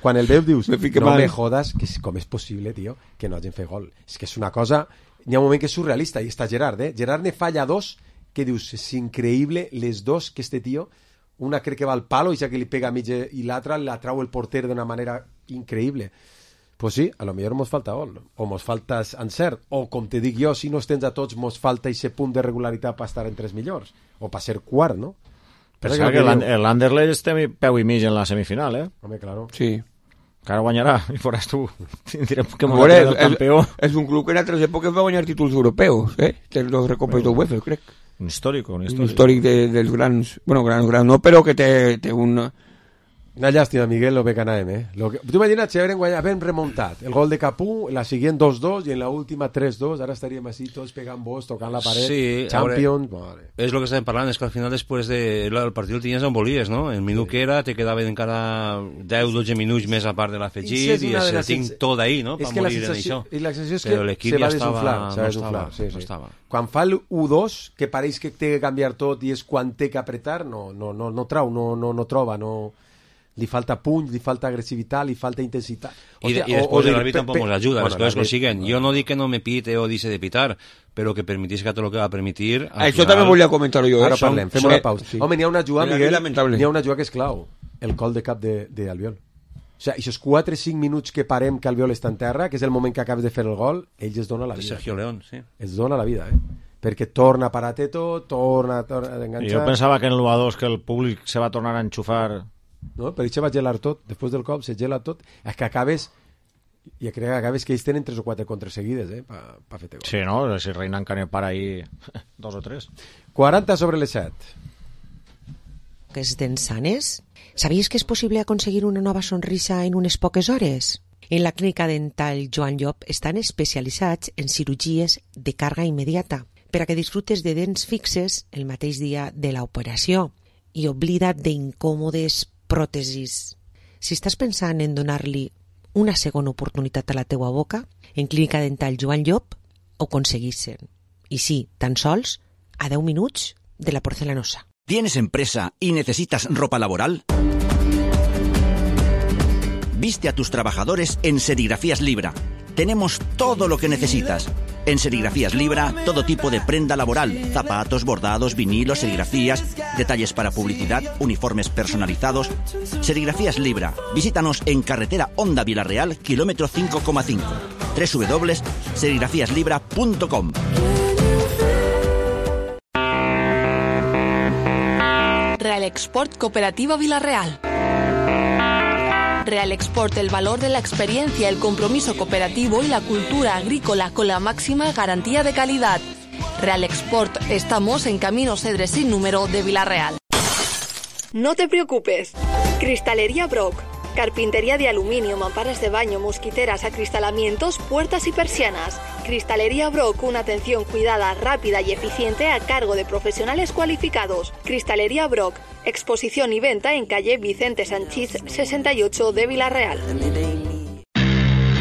quan el veus dius, no me jodas, que com és possible, tio, que no hagin fet gol. És que és una cosa... Hi ha un moment que és surrealista, i està Gerard, Gerard ne falla 2, que dius, és increïble les dos que este tio, una crec que va al palo i ja que li pega a mitja i l'altra la trau el porter d'una manera increïble. Pues sí, a lo millor mos falta gol, o mos falta encert, o com te dic jo, si no els tens a tots mos falta aquest punt de regularitat per estar entre els millors, o per ser quart, no? Pensa que l'Anderlecht té peu i mig en la semifinal, Home, claro. Sí. Que ara guanyarà, i faràs tu. Tindrem que moure el campió. És un club que en altres èpoques va guanyar títols europeus, que els dos recopes d'UEFA, crec. Un històric. Un històric dels grans... Bueno, grans no, però que té un... Una llàstima, Miguel, lo que anàvem, Tu imagina't si havíem remuntat el gol de Capú, la siguient 2-2 i en la última 3-2, ara estaríem així tots pegant bos, tocant la paret, sí, Champions... És el que estàvem parlant, és que al final després del partit el tenies on volies, no? El minut que era, te quedaven encara 10-12 minuts més a part de l'afegit i el tinc tot ahí, no? Per morir en això. I la sensació és que se va desunflar. Quan fa el 1-2, que pareix que té que canviar tot i és quan té que apretar, no troba, li falta puny, li falta agressivitat, li falta intensitat. I després l'àrbitre tampoc ens ajuda, les coses que siguen. Jo no dic que no me pite o dice de pitar, però que permitís que tot el que va permitir... Això també volia comentar-ho jo. Ara parlem, fem una pausa. Home, n'hi ha una jugada, Miguel, n'hi ha una jugada que és clau, el col de cap d'Albiol. O sigui, aquests 4-5 minuts que parem que Albiol està en terra, que és el moment que acabes de fer el gol, ell es dona la vida. Sergio León, sí. Es dona la vida, perquè torna a parar-te tot, torna a enganxar. Jo pensava que en l'1-2 que el públic se va tornar a enxufar. No, per això va gelar tot, després del cop se gela tot, és que acabes, i crec que acabes que ells tenen 3 o 4 contres seguides, per fer-te gol. Sí, no? Si Reinan Canepar ahí 2 o 3. 40 sobre les 7. Que és d'ensanes? ¿Sabíais que es posible conseguir una nova sonrisa en unes poques hores? En la clínica dental Joan Llop estan especialitzats en cirurgies de càrrega immediata per a que disfrutes de dents fixes el mateix dia de l'operació i oblida't d'incòmodes pròtesis. Si estàs pensant en donar-li una segona oportunitat a la teua boca, en clínica dental Joan Llop ho aconseguissin. I sí, tan sols a 10 minuts de la porcelanosa. ¿Tienes empresa y necesitas ropa laboral? Viste a tus trabajadores en Serigrafías Libra. Tenemos todo lo que necesitas. En Serigrafías Libra, todo tipo de prenda laboral, zapatos, bordados, vinilos, serigrafías, detalles para publicidad, uniformes personalizados. Serigrafías Libra. Visítanos en carretera Honda Vilarreal, kilómetro 5,5. www.serigrafiaslibra.com. Real Export Cooperativa Vilarreal. Real Export, el valor de la experiencia, el compromiso cooperativo y la cultura agrícola con la máxima garantía de calidad. Real Export, estamos en Camino Cedres sin número de Vilarreal. No te preocupes. Cristalería Brock. Carpintería de aluminio, mamparas de baño, mosquiteras, acristalamientos, puertas y persianas. Cristalería Brock, una atención cuidada, rápida y eficiente a cargo de profesionales cualificados. Cristalería Brock, exposición y venta en calle Vicente Sanchís 68 de Vilarreal.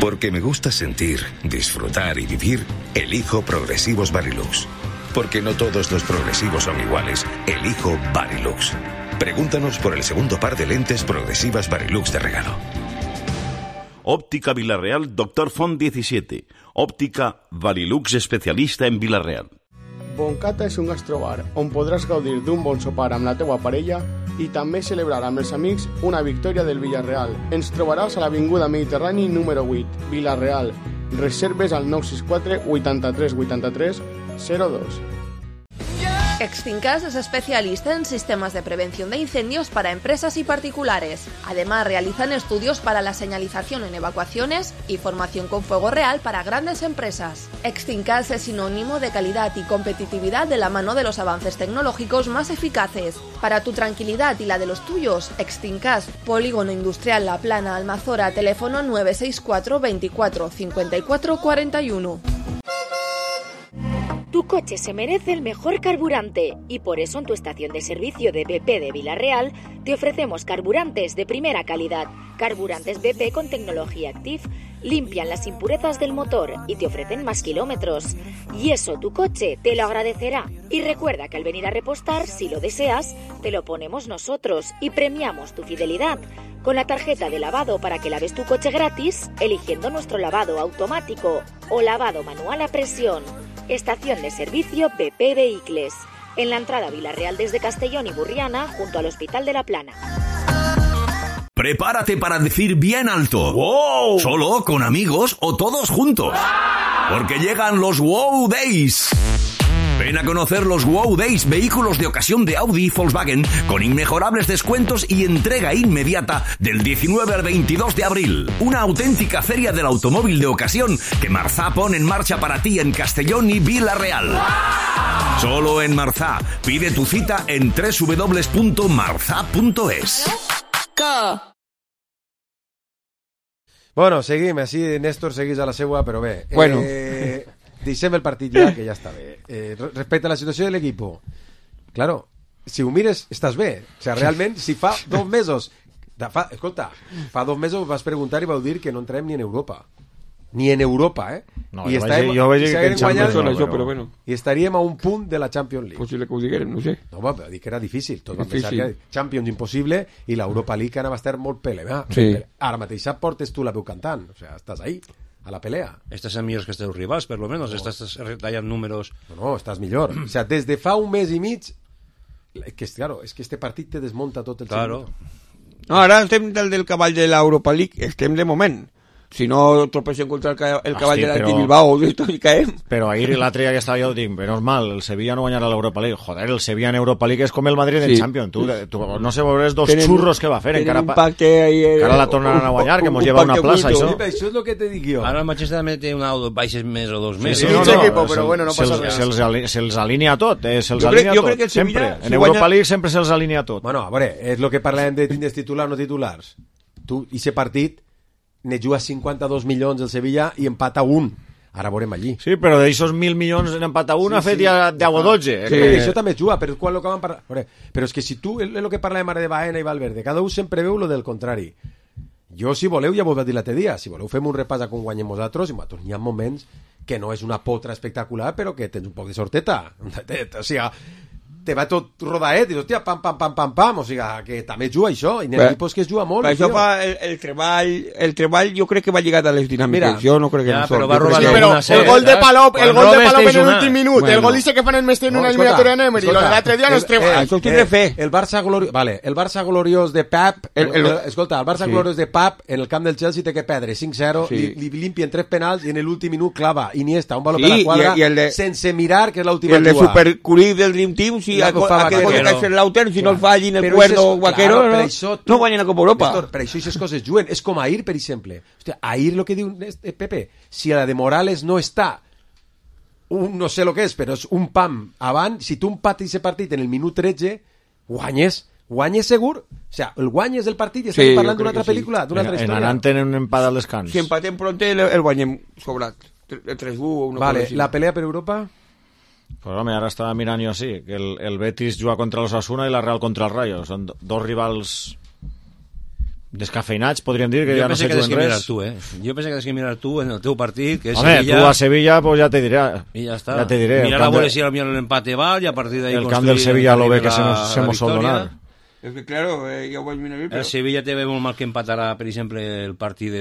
Porque me gusta sentir, disfrutar y vivir, elijo Progresivos Varilux. Porque no todos los progresivos son iguales, elijo Varilux. Pregúntanos por el segundo par de lentes progresivas Varilux de regalo. Óptica Vilarreal, Dr. Font 17. Òptica Varilux, especialista en Vilarreal. Boncata és un gastrobar on podràs gaudir d'un bon sopar amb la teua parella i també celebrar amb els amics una victòria del Villarreal. Ens trobaràs a l'Avinguda Mediterrani número 8, Vilarreal. Reserves al 964 83 83 02. Extincas es especialista en sistemas de prevención de incendios para empresas y particulares. Además, realizan estudios para la señalización en evacuaciones y formación con fuego real para grandes empresas. Extincas es sinónimo de calidad y competitividad de la mano de los avances tecnológicos más eficaces. Para tu tranquilidad y la de los tuyos, Extincas, Polígono Industrial La Plana, Almazora, teléfono 964 24 54 41. Tu coche se merece el mejor carburante y por eso en tu estación de servicio de BP de Vilarreal te ofrecemos carburantes de primera calidad. Carburantes BP con tecnología Active limpian las impurezas del motor y te ofrecen más kilómetros. Y eso tu coche te lo agradecerá. Y recuerda que al venir a repostar, si lo deseas, te lo ponemos nosotros y premiamos tu fidelidad con la tarjeta de lavado para que laves tu coche gratis eligiendo nuestro lavado automático o lavado manual a presión. Estación de servicio BP Vehicles, en la entrada a Vilarreal desde Castellón y Burriana, junto al Hospital de la Plana. Prepárate para decir bien alto. ¡Wow! Solo, con amigos o todos juntos. ¡Wow! Porque llegan los Wow Days. Ven a conocer los Wow Days, vehículos de ocasión de Audi y Volkswagen con inmejorables descuentos y entrega inmediata del 19 al 22 de abril. Una auténtica feria del automóvil de ocasión que Marzá pone en marcha para ti en Castellón y Vilarreal. ¡Wow! Solo en Marzá. Pide tu cita en www.marza.es. Bueno, seguim, així Néstor seguís a la seua, però bé. Bueno. Deixem el partit ja, que ja està bé. Respecte a la situació de l'equipo, claro, si ho mires, estàs bé. O sea, realment, si fa 2 mesos... Escolta, fa 2 mesos vas preguntar i vau dir que no entrem ni en Europa. Ni en Europa, No, jo vaig dir que en Champions no, això, però bueno. I estaríem a un punt de la Champions League. Possible que ho diguérem, no sé. No, però dic que era difícil. Tot vam pensar que Champions impossible i l'Europa League anava a estar molt pelea. Sí. Ara mateix portes tu la veu cantant. O sea, estàs ahí, a la pelea. Estás en millors que els teus rivals, per lo menos. No. Estás retallant números... No, estàs millor. O sea, des de fa un mes i mig... Que, claro, és que este partit te desmunta tot el claro. No, ara estem del cavall de l'Europa League, estem de moment. si no tropecem contra el cavall de l'Atlètic Bilbao i caem. Però ahir l'altre que estava jo dic, menys mal, el Sevilla no guanyarà l'Europa League. Joder, el Sevilla en Europa League és com el Madrid en Champions. Tu no sé veuràs dos xurros que va fer. Encara la tornaran a guanyar, que mos lleva una plaça, això. Això és el que te dic jo. Ara el Manchester també té una o baixes més o 2 més. Sí, però bueno, no passa res. Se'ls alinea tot, se'ls alinea tot, sempre. En Europa League sempre se'ls alinea tot. Bueno, a veure, és el que parlàvem de tindres titulars o no titulars. Tu, i ese partit, ne juga 52 milions el Sevilla i empata 1. Ara veurem allí. Sí, però d'aixòs 1.000 milions en empat a 1 ha fet ja 10 o 12. Sí, això també juga, però quan lo que van parlar... Però és que si tu, és el que parlàvem ara de Baena i Valverde, cada un sempre veu lo del contrari. Jo, si voleu, ja vos vaig dir l'altre dia, si voleu fem un repàs a com guanyem vosaltres, i n'hi ha moments que no és una potra espectacular, però que tens un poc de sorteta. O sigui, te va tot rodaet i hòstia, pam, o sigui, que també juga això, i n'hi ha equipos que es juga molt. Per això fa el treball jo crec que va lligat a les dinàmiques. Jo no crec que no però va robar el gol de Palop en l'últim minut, el gol dice que fan el mestre en una eliminatòria en Emery, l'altre dia no es treball. Això ho tindré fe. El Barça gloriós de Pep, escolta, el Barça gloriós de Pep en el camp del Chelsea té que perdre 5-0, li limpien 3 penals i en l'últim minut clava Iniesta, un valor per la quadra, sense mirar, que és l'última jugada. El de Supercurí del Dream Team, sí, aquell gol que ha fet l'Auter, si no el fa allí en el Cuerdo Vaquero, no guanyen a Copa Europa. Per això aquestes coses juguen. És com ahir, per exemple. Hòstia, ahir el que diu Pepe, si la de Morales no està, no sé el que és, però és un pam avant, si tu empates aquest partit en el minut 13, guanyes segur. O sigui, el guanyes del partit i estem parlant d'una altra pel·lícula, d'una altra història. En anant tenen un empat al descans. Si empatem pronte, el guanyem sobrat. 3-1 o una cosa així. La pelea per Europa... Pues home, ara estava mirant jo així, que el Betis juga contra l'Osasuna i la Real contra el Rayo. Són dos rivals descafeinats, podríem dir, que ja no se juguen res. Jo penso que tens que mirar tu en el teu partit, que és home, Sevilla. Tu a Sevilla, pues ja te diré. I ja està. Ja te diré. Mirar a veure si l'empate va i a partir d'ahí el camp del Sevilla lo ve que se mos sol donar. És que, claro, ja ho vaig mirar bé, però... El Sevilla té molt mal que empatarà, per exemple, el partit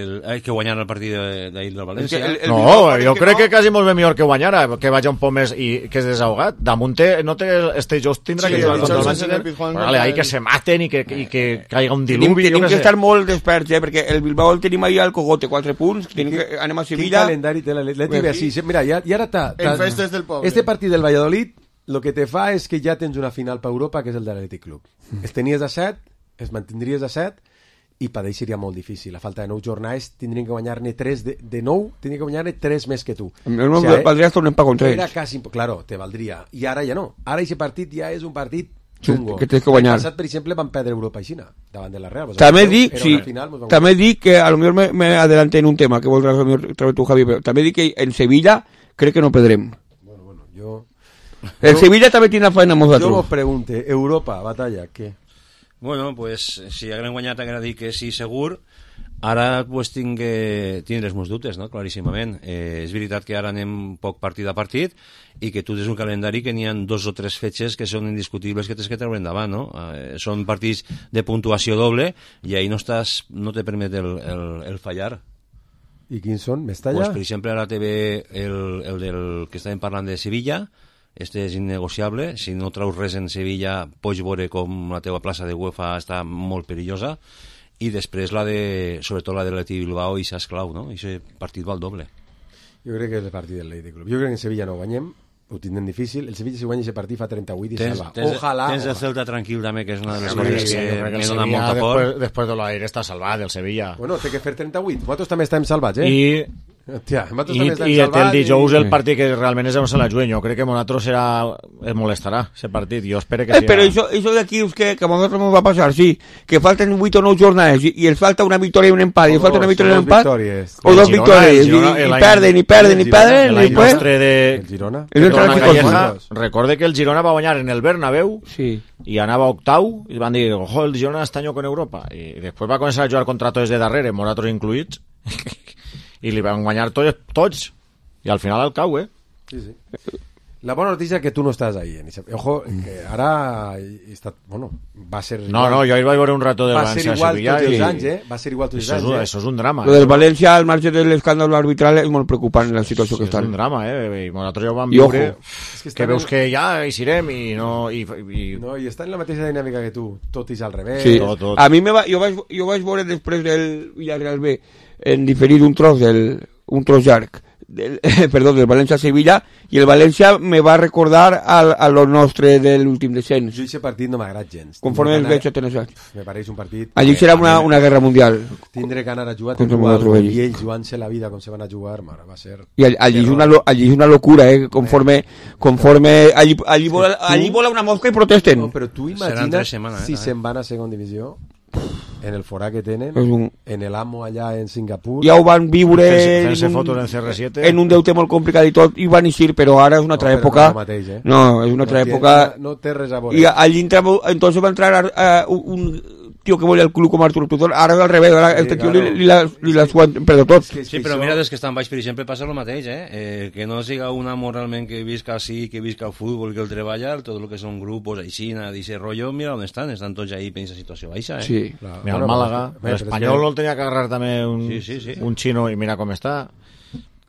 que guanyarà el partit d'ahir del València. No, jo crec que quasi molt bé millor que guanyara, que vagi un poc més i que és desahogat. Damunt no té este Just tindrà que jugar contra el Manchester. Vale, ahí que se maten i que caiga un diluvi. Tenim que estar molt desperts, perquè el Bilbao el tenim ahí al cogote, 4 punts, anem a Sevilla... Quin calendari té l'Atlètic així. Mira, i ara està... En festes del poble. Este partit del Valladolid lo que te fa és que ja tens una final per Europa, que és el de l'Atlètic Club. Es tenies a 7, es mantindries a 7, i per d'ahir seria molt difícil. A falta de 9 jornades tindrien que guanyar-ne 3 de 9, tindrien que guanyar-ne 3 més que tu. Valdria estar un empat contra ells. Era quasi, claro, te valdria. I ara ja no. Ara aquest partit ja és un partit xungo. Que tens que guanyar. El passat, per exemple, van perdre Europa i Xina davant de la Real. També dic que a lo millor me adelanté en un tema que voldràs a lo millor treure tu, Javi, però també dic que en Sevilla crec que no perdrem. Bueno, jo... El Sevilla també tiene la faena amb nosaltres. Jo vos pregunte, Europa, batalla, què? Bueno, pues si haguem guanyat haguera dit que sí, segur. Ara pues tindré els meus dubtes, no? Claríssimament. És veritat que ara anem poc partit a partit i que tu tens un calendari que n'hi ha 2 o 3 fetges que són indiscutibles que tens que treure endavant, no? Són partits de puntuació doble i ahí no te permet el fallar. I quins són? Mestalla? Pues, per exemple, ara te ve el del que estàvem parlant de Sevilla. Este és innegociable. Si no traus res en Sevilla, pots veure com la teva plaça de UEFA està molt perillosa. I després sobretot la de l'Atlètic Bilbao, i s'ha clau, no? I aquest partit va al doble. Jo crec que és el partit del Atlètic Club. Jo crec que en Sevilla no guanyem, ho tindrem difícil. El Sevilla, si guanya aquest partit, fa 38 i salva. Ojalà. Tens el Celta tranquil també, que és una de les coses que me dona molta por. Després de l'aire està salvat, el Sevilla. Bueno, té que fer 38. Nosaltres també estem salvats, I el dijous el partit que realment és on se la juguen. Jo crec que Monatres es molestarà aquest partit. Jo espero que però això d'aquí és que a nosaltres ens va passar, sí, que falten 8 o 9 jornades i els falta una victòria i un empat, i falta una victòria i un empat o 2 victòries i perden el Girona recorde que el Girona va guanyar en el Bernabéu i anava octau i van dir, ojo, el Girona està en Europa, i després va començar a jugar contra tots de darrere, Monatres incluïts, i li van guanyar tots i al final el cau, Sí. La bona notícia és que tu no estàs ahí. Ojo, que ara va ser... No, jo ahir vaig veure un rato de València a Sevilla. Va ser igual tots els anys, Això és un drama. Lo del València, al marge de l'escàndol arbitral, és molt preocupant la situació que està. És un drama, i nosaltres ja ho vam veure, que veus que ja hi serem i no... No, i està en la mateixa dinàmica que tu, tot és al revés. Sí. Tot. A mi jo vaig veure després del Villarreal B en diferit un tros llarg del València-Sevilla, i el València me va recordar a lo nostre de l'últim descens. Jo aquest partit no m'agrada gens. Conforme el veig atenejat. Me pareix un partit... Allí serà una guerra mundial. Tindré que anar a jugar i ells jugant-se la vida com se van a jugar, mare, va ser... I allí és una locura, conforme allí vola una mosca i protesten. No, però tu imagina't si se'n van a segona divisió, en el forà que tenen, en el Amo allà en Singapur... Ja ho van viure en un deute molt complicat i tot, i van eixir, però ara és una altra època. No, és una altra època. No té res a veure. I allí entonces va entrar un tío que volia el club com Arturo Tutor, ara és al revés, ara este tío li la suan perdó tot. Sí, però mira, des que estan baix, per exemple, passa el mateix, que no siga un amo realment que visca així, que visca el futbol, que el treballa, tot el que són grupos, aixina, d'aquest rotllo, mira on estan tots ahí en aquesta situació baixa, Sí. Mira, el Màlaga, l'Espanyol el tenia que agarrar també un xino i mira com està.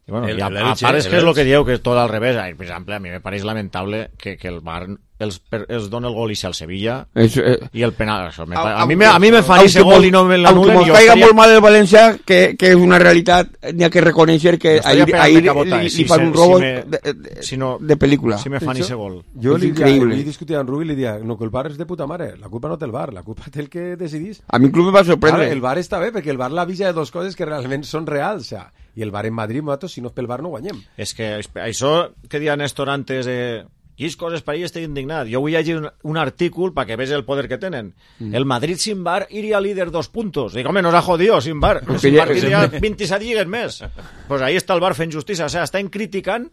I bueno, a part és que és el que dieu, que és tot al revés. Per exemple, a mi me pareix lamentable que el Bar els dona el gol i al Sevilla i el penal. A mi me fan ese gol i no me l'anulen. Aunque caiga molt mal el València, que és una realitat, n'hi ha que reconèixer que ahir li fan un robo de pel·lícula. Si me fan ese gol. Jo li discutia amb Rubi i li dia, no, que el Bar és de puta mare, la culpa no té el Bar, la culpa té el que decidís. A mi inclús me va sorprendre. El Bar està bé, perquè el Bar l'avisa de dos coses que realment són reals, i el Bar en Madrid, nosaltres, si no és pel Bar no guanyem. És que això que deia Néstor antes i és coses per ahí estic indignat. Jo vull llegir un artícul perquè veig el poder que tenen. El Madrid sin Bar iria líder 2 puntos. Dic, home, nos ha jodido sin Bar. Sin Bar tindria 27 lligues més. Pues ahí està el Bar fent justícia. O sea, estan criticant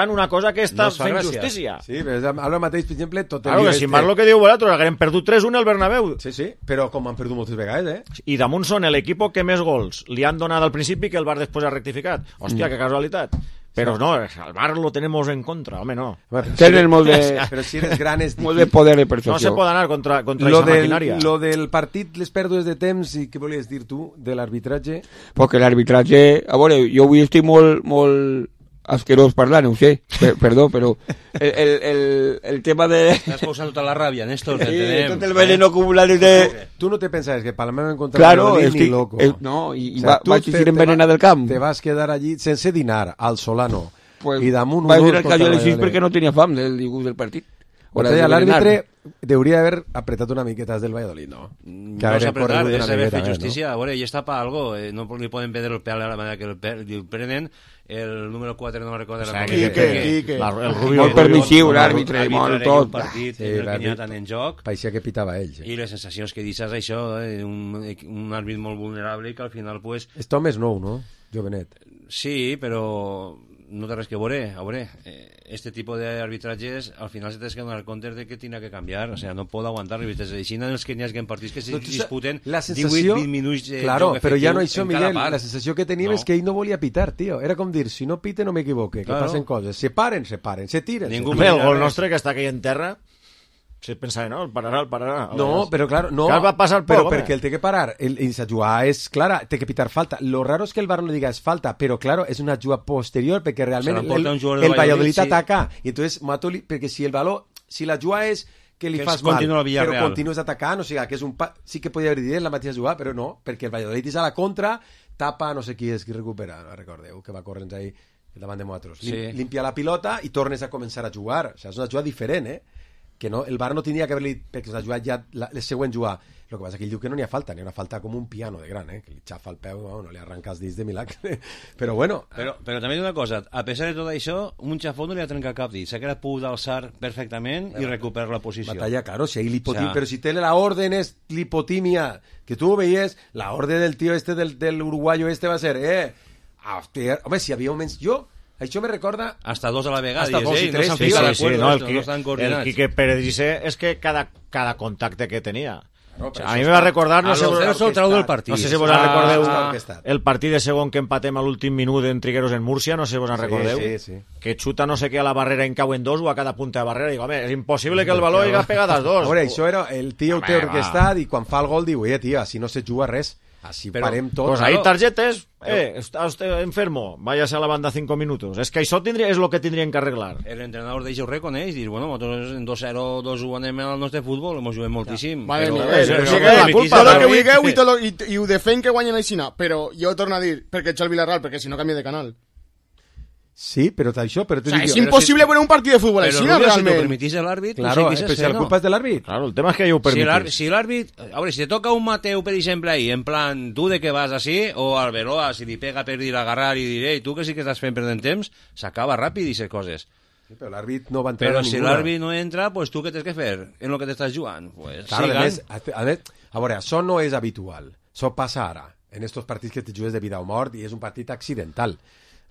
una cosa que està fent justícia. Sí, però ara mateix, per exemple, tot el... Claro, que sin Bar lo que diu vosaltres, haguem perdut 3-1 al Bernabéu. Sí, però com han perdut moltes vegades, I damunt són l'equip que més gols li han donat al principi que el Bar després ha rectificat. Hòstia, que casualitat. Però no, el Bar lo tenemos en contra, home, no. Tenen molt de... Però si eres gran és... Molt de poder de percepció. No se pot anar contra aquesta maquinària. Lo del partit, les pèrdues de temps, i què volies dir tu, de l'arbitratge? Perquè l'arbitratge... A veure, jo avui estic molt asquerós parlant, ho sé, perdó, però el tema de... T'has posat tota la ràbia, Néstor, sí, tot el veneno acumulat de... Tu no te pensaves que para me encontrar claro, ni loco. No, i vaig eixir envenenat del camp. Te vas quedar allí sense dinar, al Solano, pues, i damunt... Vaig dir al calló a les 6 perquè no tenia fam del dibuix del partit. L'àrbitre hauria d'haver apretat una miqueta del Valladolid, no? Que no s'ha apretat, és haver fet justícia. A veure, i està per algo, no li poden prendre el pèl a la manera que el prenen. El número 4 no me'n recordo. El Rubio. Molt permissiu, l'àrbitre, molt tot. Un partit que n'hi ha tant en joc. Parecia que pitava ells. I les sensacions que deixes això, un àrbit molt vulnerable que al final, pues... És Tom és nou, no? Jovenet. Sí, però... no té res que veure. A veure, este tipus d'arbitratges al final se tens que donar compte de que tindrà que canviar, o sea, no pot aguantar arbitratges així en els que n'hi hagi partits que se disputen 18-20 minuts de claro, joc però efectiu ja no això, en Miguel, cada part. la sensació que tenim és que ell no volia pitar, tio, era com dir, si no pite no m'equivoque, que passen coses, se paren, se tiren. Ningú el gol nostre que està aquí en terra se pensava, no, el pararà. No, però clar, no. Va passar però perquè el té que parar. Esa jugada és clara, té que pitar falta. Lo raro és que el VAR no diga és falta, però claro, és una jugada posterior perquè realment el Valladolid ataca. I entonces, perquè si el valor, si la jugada és que li fas mal, però continues atacant, o sigui, que és un sí que podria haver dit la mateixa jugada, però no, perquè el Valladolid és a la contra, tapa, no sé qui és qui recupera, no recordeu, que va corrents ahí davant de nosaltres. Limpia la pilota i tornes a començar a jugar. O sigui, és una jugada diferent, que no, el VAR no tindria que haver-li, perquè s'ha jugat ja la següent jugada. El que passa que ell diu que no n'hi ha falta, n'hi ha una falta com un piano de gran, que li xafa el peu, no li arranca els dits de milagre. Però bueno... Però també una cosa, a pesar de tot això, un xafó no li ha trencat cap dit, s'ha quedat pogut alçar perfectament i recuperar la posició. Batalla, claro, si hay lipotimia, però si té la orden és lipotimia, que tu veies, la orden del tío este, del uruguayo este va ser, hòstia, home, si havia moments... Això me recorda... Hasta 2 a la vegada. Hasta 2 i 3. El Quique Pérez dice és que cada contacte que tenia. A mi me va recordar... No sé si vos recordeu el partit de segon que empatem a l'últim minut en Trigueros en Múrcia, no sé si vos en recordeu. Que xuta no sé què a la barrera en cau en dos o a cada punta de barrera. Dic, home, és impossible que el baló hi haga pegat als dos. A veure, això era el tio té orquestat i quan fa el gol diu, tia, si no se juga res. Així parem tot. Pues ahí tarjetes, está usted enfermo, váyase a la banda 5 minutos. Es que això és el que tindrien que arreglar. L'entrenador d'ells ho reconeix, dir, bueno, nosaltres en 2-0, 2-1 anem al nostre futbol, hemos jugat moltíssim. Vale, però i ho defenc que guanyen aixina, però jo torno a dir, perquè ets el Villarreal, perquè si no canvia de canal. Sí, pero això, pero te digo, es imposible poner un partido de fútbol així, realment. Si t'ho permetís l'àrbit, claro, però si la culpa és de l'àrbit. Claro, el tema és que ja ho permetís. Si l'àrbit, a veure, si te toca un Mateu, per exemple, ahí, en plan, tu de què vas així, o Arbeloa, si li pega per dir agarrar i dir, tu que sí que estàs fent perdent temps, s'acaba ràpid i aquestes coses. Sí, però l'àrbit no va entrar però a ninguna. Si l'àrbit no entra, pues tu què tens que fer en el que t'estàs jugant? Pues claro, a veure, això no és habitual. Això passa ara, en estos partits que te jugues de vida o mort, i és un partit accidental.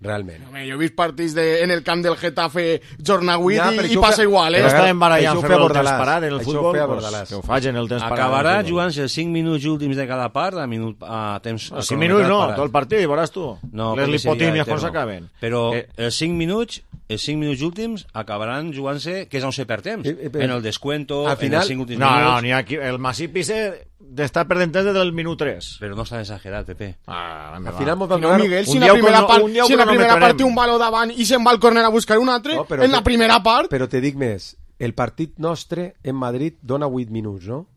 Realment. Home, jo he vist partits en el camp del Getafe jornada 8 i passa igual, Però estàvem barallant fer el temps parat en el futbol, que ho facin el temps parat. Acabarà jugant-se els 5 minuts últims de cada part a temps... 5 minuts no, tot el partit, veuràs tu. Les lipotímies quan s'acaben. Però els 5 minuts últims acabaran jugant-se, que és on se perd temps, en el descuento, en els 5 últims minuts... No, ni aquí, el Masip Pisse d'estar perdent temps des del minut 3. Però no està exagerat, Pepe. Al final mos van donar... Miguel, si en la primera part té un baló davant i se'n va al córner a buscar un altre, en la primera part... Però te dic més, el partit nostre en Madrid dona 8 minuts, no?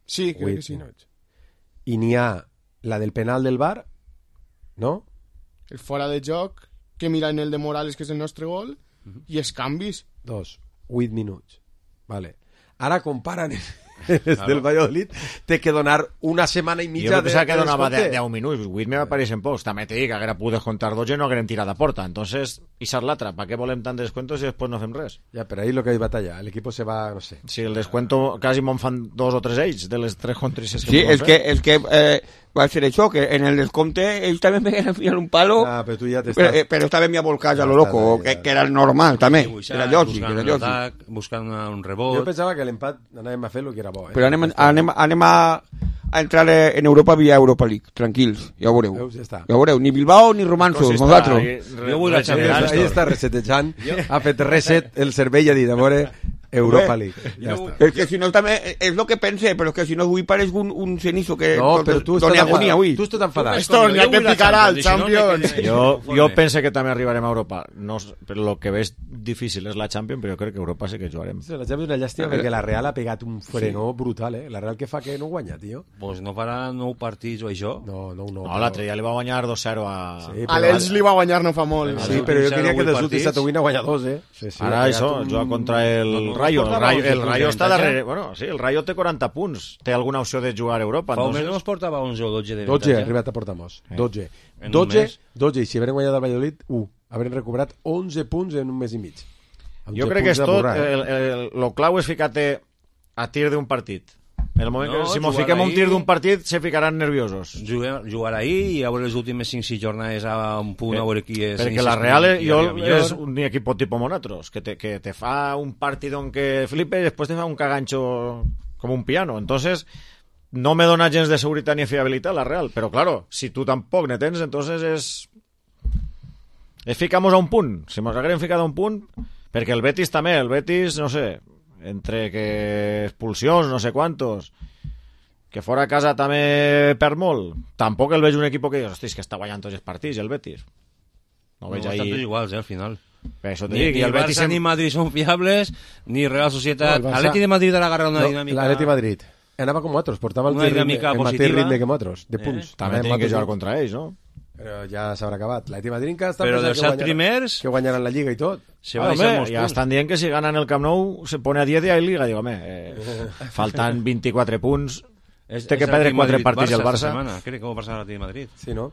Sí, crec que sí. I n'hi ha la del penal del VAR, no? El fora de joc, que mira en el de Morales, que és el nostre gol, i els canvis. 8 minuts. Vale. Ara comparen... del Valladolid, té que donar una setmana i mitja de... Jo pensava que donava 10 minuts, 8 me pareixen pocs. També te dic que haguera pogut descontar 12 i no hagueren tirat a porta. Entonces, i ser l'altra, ¿para qué volem tant descuentos i després no fem res? Ja, però ahí lo que hay batalla, el equipo se va, no sé. Sí, el descuento quasi me'n fan 2 o 3 ells, de les 3 contrices que sí, és que va ser això, que en el descompte ells també me van fiar un palo, però tu ja però estava mi a volcar a lo loco, que era el normal també, era lògic. Buscant un rebot. Jo pensava que l'empat anàvem a fer el que era bo. Però anem a entrar en Europa via Europa League, tranquils, ja ho veureu. Ja ho veureu, ni Bilbao ni Romansos, nosaltres. Jo vull la Champions. Ahí està resetejant, ha fet reset el cervell i ha dit, a veure, Europa League. Ja està. És que si no també, és el que pense, però és que si no avui pareix un cenizo que tu doni agonia avui. Tu estàs enfadat. Esto ni a que picarà el Champions. Jo pense que també arribarem a Europa. Però el que veig difícil és la Champions, però jo crec que Europa sí que jugarem. La Champions és una llàstima perquè la Real ha pegat un frenó brutal, La Real que fa que no guanya, tio. Pues no farà 9 partits o això? No. No, l'altre dia li va guanyar 2-0 a l'Elx li va guanyar no fa molt. Sí, però jo queria que dels últims Satowin ha guanyat 2, Ara això, juga contra el Rayo. El Rayo està darrere. Bueno, sí, el Rayo té 40 punts. Té alguna opció de jugar a Europa. Fa un mes no es portava 11 o 12 de 12, arribat a portamos. 12. 12, i si haurem guanyat el Valladolid, haurem recuperat 11 punts en un mes i mig. Jo crec que és tot, el clau és ficar-te a tir d'un partit. En el moment que si mos fiquem un tir d'un partit se ficaran nerviosos. Jugar ahir i a veure les últimes 5-6 jornades a un punt a veure qui és. Perquè la Real és un equip tipo monatros, que te fa un partit on que flipe i després te fa un cagancho com un piano. Entonces no me dona gens de seguretat ni fiabilitat la Real, però claro, si tu tampoc ne tens, entonces és ficamos a un punt. Si mos haguem ficat a un punt, perquè el Betis també, no sé, entre que expulsions, no sé quantos, que fora a casa també per molt, tampoc el veig un equip que dius, hòstia, que està guanyant tots els partits, el Betis. No veig ahí... Estan tots iguals, al final. Ni el Barça ni Madrid són fiables, ni Real Societat. L'Atleti de Madrid ha agarrat una dinàmica... L'Atleti de Madrid anava com otros, portava el mateix ritme que otros, de punts. També tenen que jugar contra ells, no? Però ja s'haurà acabat. L'Atleti de Madrid que però dels 7 primers que guanyaran la Lliga i tot. Ja estan dient que si ganen el Camp Nou se pone a 10 i hay Liga. Digo, faltan 24 punts, té que perdre 4 partits el Barça. Crec que ho passarà a l'Atleti de Madrid. Sí, no?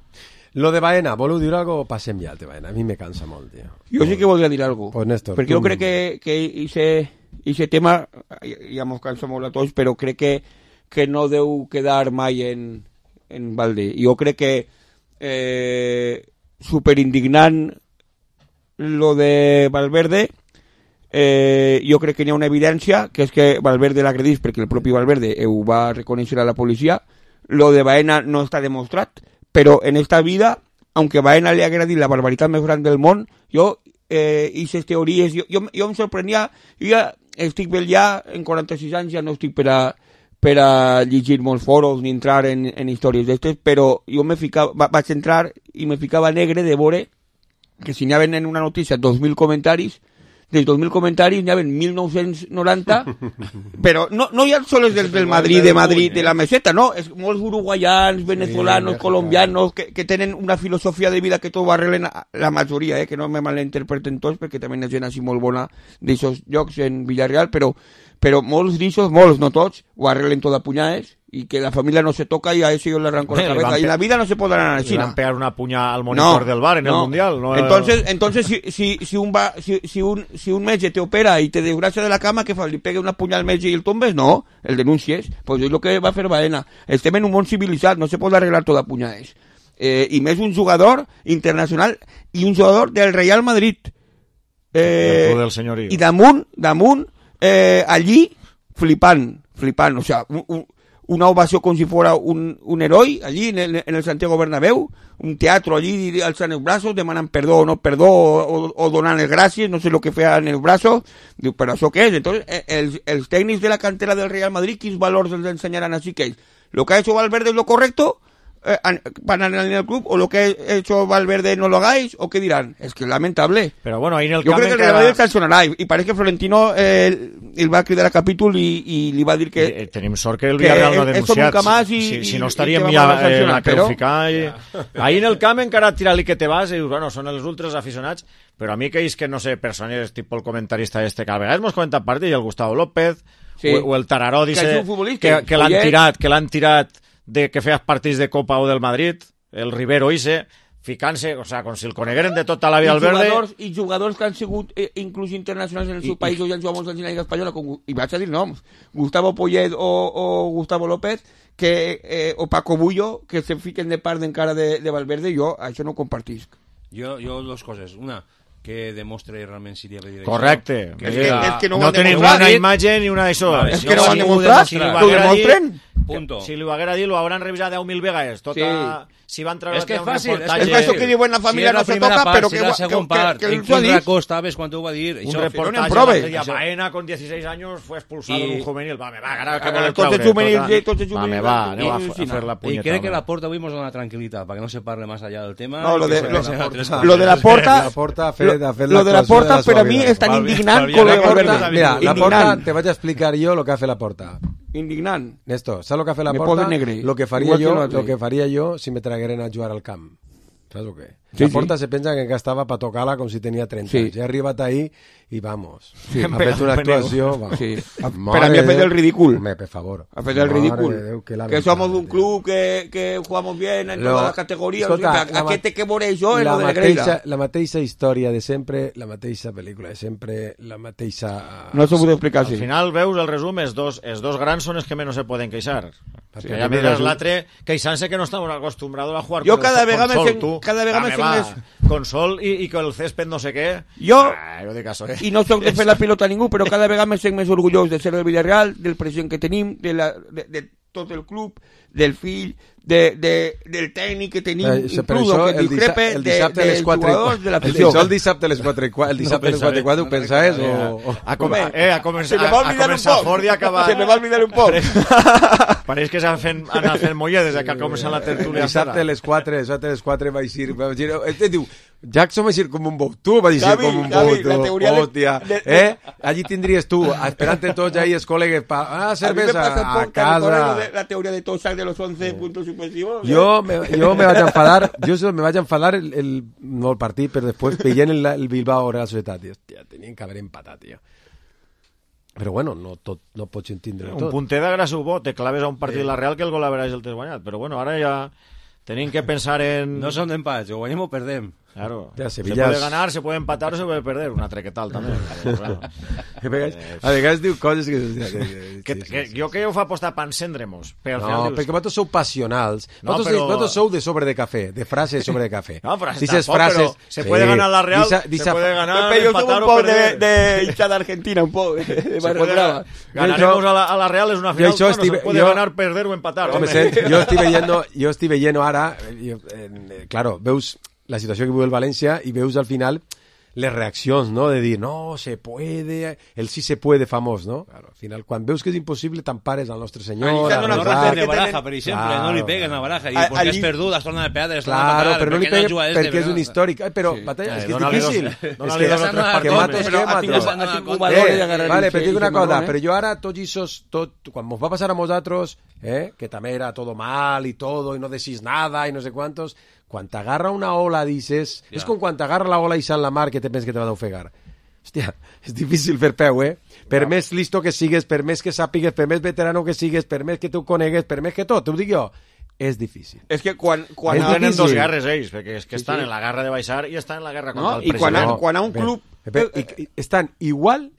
Lo de Baena, voleu dir algo o passem ja al de Baena? A mi me cansa molt, tio. Jo sí que volia dir algo. Pues Néstor, perquè jo crec que ese tema ja mos cansa molt a tots, però crec que no deu quedar mai en balde. Jo crec que superindignant lo de Valverde. Jo crec que n'hi ha una evidència, que és que Valverde l'agredís perquè el propi Valverde ho va reconèixer a la policia. Lo de Baena no està demostrat, però en esta vida, aunque Baena le agradi la barbaritat més gran del món, jo aquestes teories, jo em sorprenia, jo ja estic ja en 46 anys, ja no estic per per a llegir molts foros ni entrar en històries d'estes, però jo vaig entrar i me ficava negre de veure que si n'hi havia en una notícia 2.000 comentaris, dels 2.000 comentaris n'hi havia 1.990, però no hi ha sols del Madrid, de la meseta, no, és molts uruguaians, venezolanos, colombianos, que tenen una filosofia de vida que tot ho arreglen, la majoria, que no me malinterpreten tots, perquè també hi ha gent així molt bona d'aixòs llocs en Villarreal, però molts d'ixos, molts, no tots, ho arreglen tot a punyades, i que la familia no se toca y a eso yo le arranco la cabeza. Y la vida no se podrá ganar así. Le van a pegar una puña al monitor del bar en el Mundial. No, entonces si un metge te opera y te desgracia de la cama, que fa? ¿Le pegue una puña al metge y el tombes? No, el denuncies. Pues es lo que va a fer Baena. Estem en un món civilitzat, no se pot arreglar tot a punyades. I més un jugador internacional i un jugador del Real Madrid. Del senyorio. I damunt allí flipant, o sea, una ovació com si fuera un heroi allí en el Santiago Bernabéu, un teatro allí alzant els braços, demanant perdó o no perdó o donant les gràcies, no sé el que feien els braços. Diu, però això què és? Entonces, els tècnics de la cantera del Real Madrid, quins valors els ensenyaran així que ells? Lo que ha hecho Valverde es lo correcto para en el club, o lo que ha hecho Valverde no lo hagáis, o qué dirán. Es que es lamentable. Pero bueno, ahí en el yo creo que el Real Madrid sancionarà y parece que Florentino el va cridar a capítol y li va dir que tenim sort que el Villarreal no ha denunciat si no estaríem ja la creu ficar ahí en el camp encara tirar-li que te vas i dius, bueno, són els ultras aficionats, però a mi aquells que no sé, persones tipus el comentarista que a vegades mos comenta part i el Gustavo López o el Tararó dice que l'han tirat de que feas partits de Copa o del Madrid, el Rivero ese, ficant-se, o sea, com si el conegueren de tota la vida al verde. I jugadors que han sigut inclús internacionals en el seu país o ja han jugat molts anys en la Lliga Espanyola, i vaig a dir noms, Gustavo Poyet o Gustavo López, o Paco Bullo, que se fiquen de part encara de Valverde, jo això no compartisc. Jo dos coses. Una, que demostre realment si li ha de dir això. Correcte. Que no tenim una imatge ni una d'això. És que no ho han demostrat. Ho demostren. Punto. Si lo haguera dit, lo habrán revisat 10.000 vegades. Si van treure és que és fàcil. És això que diuen la família no se toca, però que la segona part. En quin racó estaves quan t'ho va dir? Un reportatge de Baena con 16 años fue expulsado en un juvenil. Va, me va, ara que vol tots els juvenils. Va, me va, aneu a fer la punyeta. I crec que la Porta avui ens dona tranquil·litat, perquè no se parle més allà del tema. No, lo de la Porta per a mi és tan indignant com lo de Valverde. Mira, la Porta, te vaig a explicar yo lo que hace la Porta. Indignant. Néstor, ¿sabes lo que hace la Porta? Lo que faria yo si me tragueren a jugar al camp. ¿Sabes lo que? La Porta se pensa que encara estava per tocar-la com si tenia 30 anys. Ja ha arribat ahí i vamos. Ha fet una actuació... Per a mi ha fet el ridícul. Home, per favor. Ha fet el ridícul. Que somos un club que jugamos bien en todas las categorías. ¿A qué te que veure això en lo de Negreira? La mateixa història de sempre, la mateixa pel·lícula de sempre, la mateixa... No s'ho puc explicar així. Al final, veus el resum, els dos grans són els que menys se poden queixar. Perquè ja mires l'altre queixant-se que no estan acostumbrados a jugar con Sol. Cada vegada me con Sol i con el césped no sé què. Jo dic això, i no soc de fer la pilota a ningú, però cada vegada me sent més orgullós de ser del Villarreal, del president que tenim, de tot el club, del fill, del tècnic que tenim, inclús que discrepe dels jugadors de l'afició. El dissabte a les 4 i 4 ho pensaves o... A començar fort i acabar... Se me va olvidar un poc. Pareix que s'han anat fent molledes que ha començat la tertúlia. Dissabte a les 4 vaig dir... Diu, Jackson va dir com un bot. Tu va dir com un bot. Hòstia. Allí tindries tu, esperant tots ahí els col·legues cervesa a casa. La teoria de Tossac de los 11 puntos suspensivos. Jo me vaig enfadar, no el partit, però després veient el Bilbao Real Societat. Hòstia, tenien que haver empatat, tio. Però bueno, no pots entendre tot. Un punter de Grasubó, te claves a un partit de la Real que el gol haveràs el tens guanyat. Però bueno, ara ja tenim que pensar en... No són d'empats, o guanyem o perdem. Claro, se puede ganar, se puede empatar o se puede perder. Una trequetal també. A vegades diu coses que... Jo que ho fa apostar per encendre-mos. No, perquè vosaltres sou passionals. Vosaltres sou de sobre de cafè, de frases sobre de cafè. No, però frases, se puede ganar la Real, se puede ganar, empatar o perder. De hinchada argentina, un poc. Ganaremos a la Real, es una final, se puede ganar, perder o empatar. Jo estic veient ara, claro, veus la situació que viu el València i veus al final les reaccions, no? De dir, no, se puede, el sí se puede famós, no? Claro, al final, quan veus que és impossible, t'empares al nostre senyor. No reparten de baraja, per exemple, no li peguen a baraja, i perquè és perdut, es torna a pegar, claro, però no li peguen perquè és un històric. Però, Batalla, és que és difícil. Dóna-li dos o tres partits. Vale, però dic una cosa, però jo ara, tots aquests, quan mos va passar a nosaltres, que també era todo mal i todo, i no decís nada, i no sé quantos, quan t'agarra una ola, dices... És com quan t'agarra la ola i en la mar que te penses que te va d'ofegar. Hòstia, és difícil fer peu, Per més listo que sigues, per més que sàpigues, per més veterano que sigues, per més que tu conegues, per més que tot, t'ho dic jo, és difícil. És que quan tenen dos guerres ells, perquè és que estan en la guerra de baixar i estan en la guerra contra el president. I quan a un club... Estan igual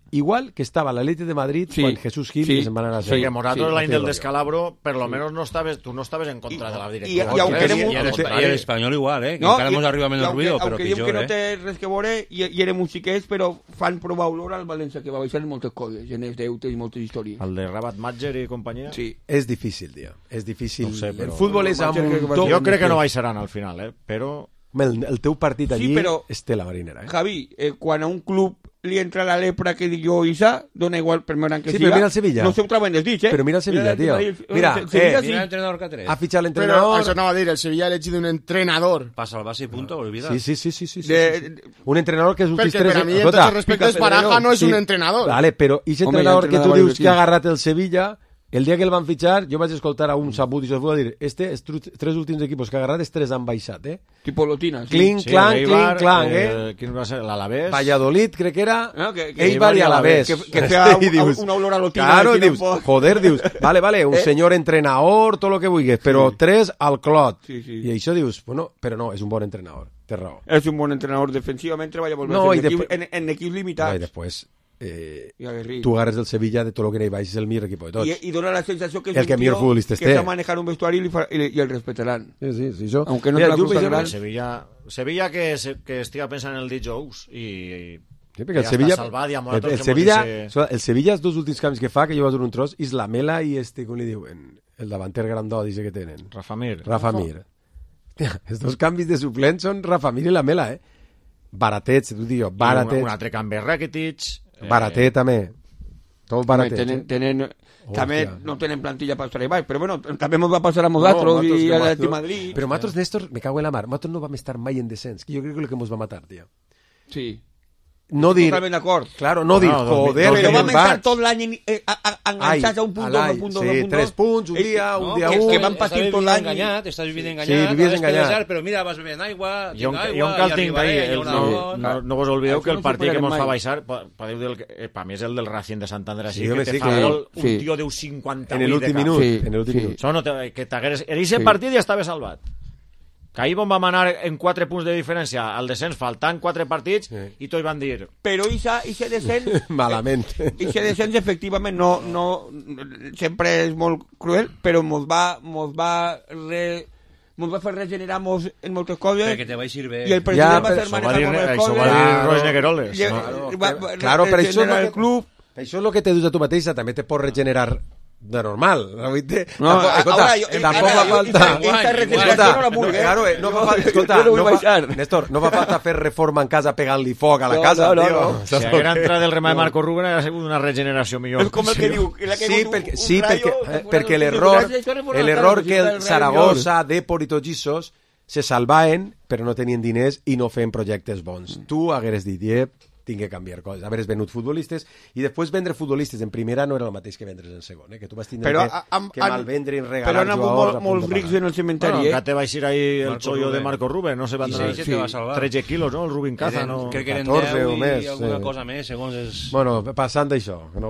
que estaba la Atlético de Madrid con Jesús Gil que se van a la serie. Morato l'any del descalabro, per lo menos tú no estabas en contra de la directiva. I l'Espanyol igual, que encara ens arriba menys ruido, però pitjor, que no té res que veure, i érem musiquers, però fan provar olor al València, que va baixar en moltes coses, en els deutes i moltes històries. El de Rabat Matger i companyia? Sí. És difícil, tio. És difícil. No sé, però... El futbol és amb un to... Jo crec que no baixaran al final, però... El teu partit allí és tela marinera. Javi, quan a un club li entra la lepra que dic jo, Isa, dona igual per més gran que siga. Però mira el Sevilla. No se ho trauen els dits, Però mira el Sevilla, tio. Mira, l'entrenador que ha tret. Ha fitxat l'entrenador. Però això anava a dir, el Sevilla ha elegit un entrenador. Passa al base i punto, olvida. Sí. Un entrenador que és un Perquè per a mi, en tots els respectes, Baraja no és un entrenador. Vale, però aquest entrenador que tu dius que ha agarrat el Sevilla... El dia que el van fitxar, jo vaig escoltar a un sabut i se'ls va dir, els tres últims equipos que ha agarrat, els tres han baixat, Tipo Lotina. Clinc, clang, Quin va ser? L'Alavés? Valladolid, crec que era. Eibar i Alavés. Que feia una olor a Lotina. Claro, dius, joder, dius, vale, un senyor entrenador, tot el que vulguis, però tres al clot. I això dius, bueno, però no, és un bon entrenador, té raó. És un bon entrenador, defensivament treballa molt bé, en equips limitats. I després... tu agarres el Sevilla de tot el que n'hi baix és el millor equip de tots i dona la sensació que és el que millor futbolista que està manejant un vestuari i el respetaran sí, això aunque no la cosa gran Sevilla que estiga pensant en el dijous i perquè el Sevilla el Sevilla els dos últims canvis que fa que jo vaig dur un tros és la Mela i com li diuen el davanter grandó dice que tenen Rafa Mir els dos canvis de suplent són Rafa Mir i la Mela baratets, t'ho dic jo, baratets un altre canvi Rakitic baratet també tot baratet també no tenen plantilla per estar baix però bueno, també ens va passar a nosaltres i a l'Atlètic Madrid però nosaltres, Néstor, me cago en la mar nosaltres no vam estar mai en descens que jo crec que és el que ens va matar, tio sí no dir, totalment d'acord claro, no dir, joder però vam estar tot l'any enganxats a un punt, dos, 3 punts, un dia, un que van patir tot l'any estàs vivint enganyat però mira, vas bevent aigua jo encara el tinc ahí no vos oblideu que el partit que ens fa baixar podeu dir, per mi és el del Racing de Santander així que te fa gol un tio deu 58 en l'últim minut que t'hagués en aquest partit ja estava salvat que ahir vam anar en 4 punts de diferència al descens, faltant 4 partits i tots van dir... Però ixe descens... Malament. Ixe descens efectivament no sempre és molt cruel, però mos va fer regenerar en moltes coses perquè te vaig servir i el president va ser manejar moltes coses això va dir Roig Negueroles claro, però això és el que te dius a tu mateixa, també te pot regenerar de normal, tampoc fa falta Néstor, no fa falta fer reforma en casa pegant-li foc a la casa si haguera entrat el remà de Marco Rubén hauria sigut una regeneració millor és com el que diu perquè l'error que el Saragossa, Depor i tots aquests se salvaven però no tenien diners i no feien projectes bons tu hagueres dit tinc que canviar coses, haveres venut futbolistes i després vendre futbolistes en primera no era el mateix que vendre's en segon, que tu vas tindre que malvendre i regalar però han hagut molts rics en el cementeri que te va eixir ahí el xollo de Marco Rubén no se van donar 13 quilos no? el Rubin Caza crec que eren 10 i alguna cosa més segons és... bueno, passant d'això no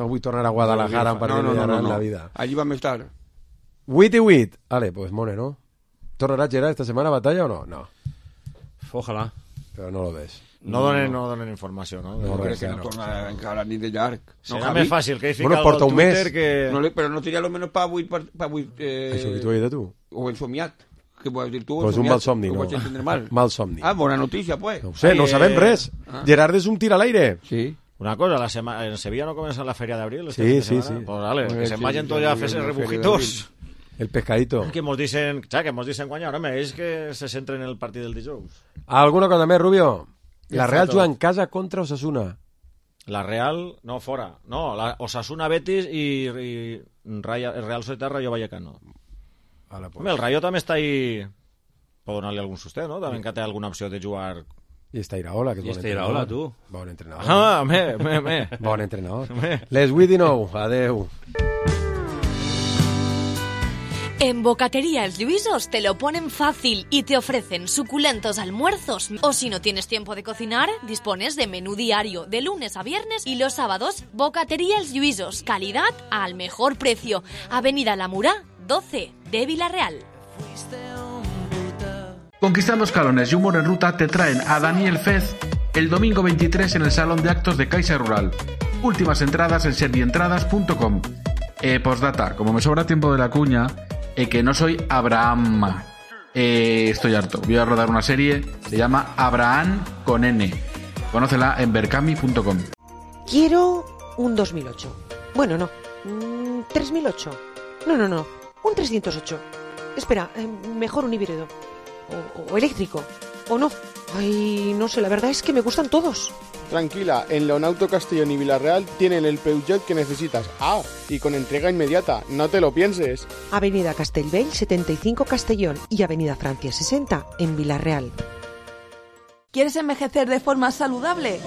vull tornar a Guadalajara per no, la vida allí vam estar 8 i 8 vale, pues mone, ¿no? ¿tornarà Gerard esta setmana a batalla o no? no ojalà però no lo ves. No donen informació, no? No crec que no tornarà encara ni de llarg. Serà més fàcil que hi fica porta un mes. Però no tenia almenys per avui... Això que t'ho he dit tu? O en somiat. Què vols dir tu? Pues un mal somni, no? Mal somni. Bona notícia, pues. No ho sé, no sabem res. Gerard és un tir a l'aire. Sí. Una cosa, en Sevilla no comença la Fèria d'Abril? Sí. Pues vale, que se'n vagin tots ja a fer-se rebujitos. El pescadito. Que mos dicen guanyar, home, és que se centren en el partit del dijous. Alguna cosa més, Rubio? La Real juga en casa contra Osasuna. La Real, no, fora. No, la Osasuna Betis i el Real Societat Rayo Vallecano. Pues. Home, el Rayo també està ahí... Pot donar-li algun sosté, no? També que té alguna opció de jugar... I està Iraola, que és bon entrenador. Iraola, tu. Bon entrenador. Ah, Bon entrenador. Les 8:19. Adeu. En Bocatería El Lluisos te lo ponen fácil y te ofrecen suculentos almuerzos. O si no tienes tiempo de cocinar, dispones de menú diario de lunes a viernes y los sábados. Bocatería El Lluisos, calidad al mejor precio. Avenida La Murá, 12 de Villarreal. Conquistando escalones y humor en ruta te traen a Daniel Fez el domingo 23 en el Salón de Actos de Caixa Rural. Últimas entradas en servientradas.com. Postdata, como me sobra tiempo de la cuña, que no soy Abraham. Estoy harto. Voy a rodar una serie, se llama Abraham con N. Conócela en berkami.com. Quiero un 2008. Bueno, no. 3008. No. Un 308. Espera, mejor un híbrido. O eléctrico. O no. Ay, no sé, la verdad es que me gustan todos. Tranquila, en Leonauto Castellón y Villarreal tienen el Peugeot que necesitas. Ah, y con entrega inmediata, no te lo pienses. Avenida Castellbell 75 Castellón y Avenida Francia 60 en Villarreal. ¿Quieres envejecer de forma saludable?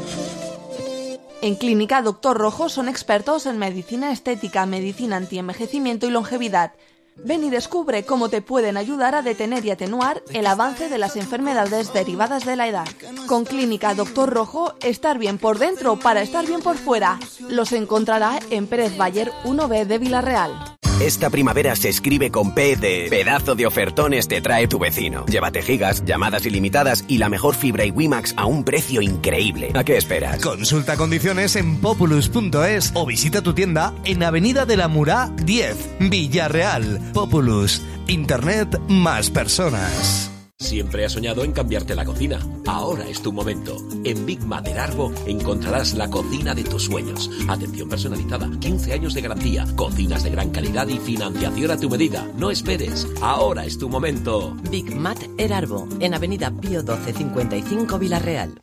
En Clínica Doctor Rojo son expertos en medicina estética, medicina antienvejecimiento y longevidad. Ven y descubre cómo te pueden ayudar a detener y atenuar el avance de las enfermedades derivadas de la edad. Con Clínica Doctor Rojo, estar bien por dentro para estar bien por fuera. Los encontrará en Pérez Bayer 1B de Villarreal. Esta primavera se escribe con P de pedazo de ofertones te trae tu vecino. Llévate gigas, llamadas ilimitadas y la mejor fibra y WiMax a un precio increíble. ¿A qué esperas? Consulta condiciones en populus.es o visita tu tienda en Avenida de la Murá 10, Villarreal. Populus. Internet más personas. Siempre has soñado en cambiarte la cocina. Ahora es tu momento. En Big Mother Arbo encontrarás la cocina de tus sueños. Atención personalizada, 15 años de garantía, cocinas de gran calidad y financiación a tu medida. No esperes. Ahora es tu momento. Big Mat Erarbo, en Avenida Pío 1255 Villarreal.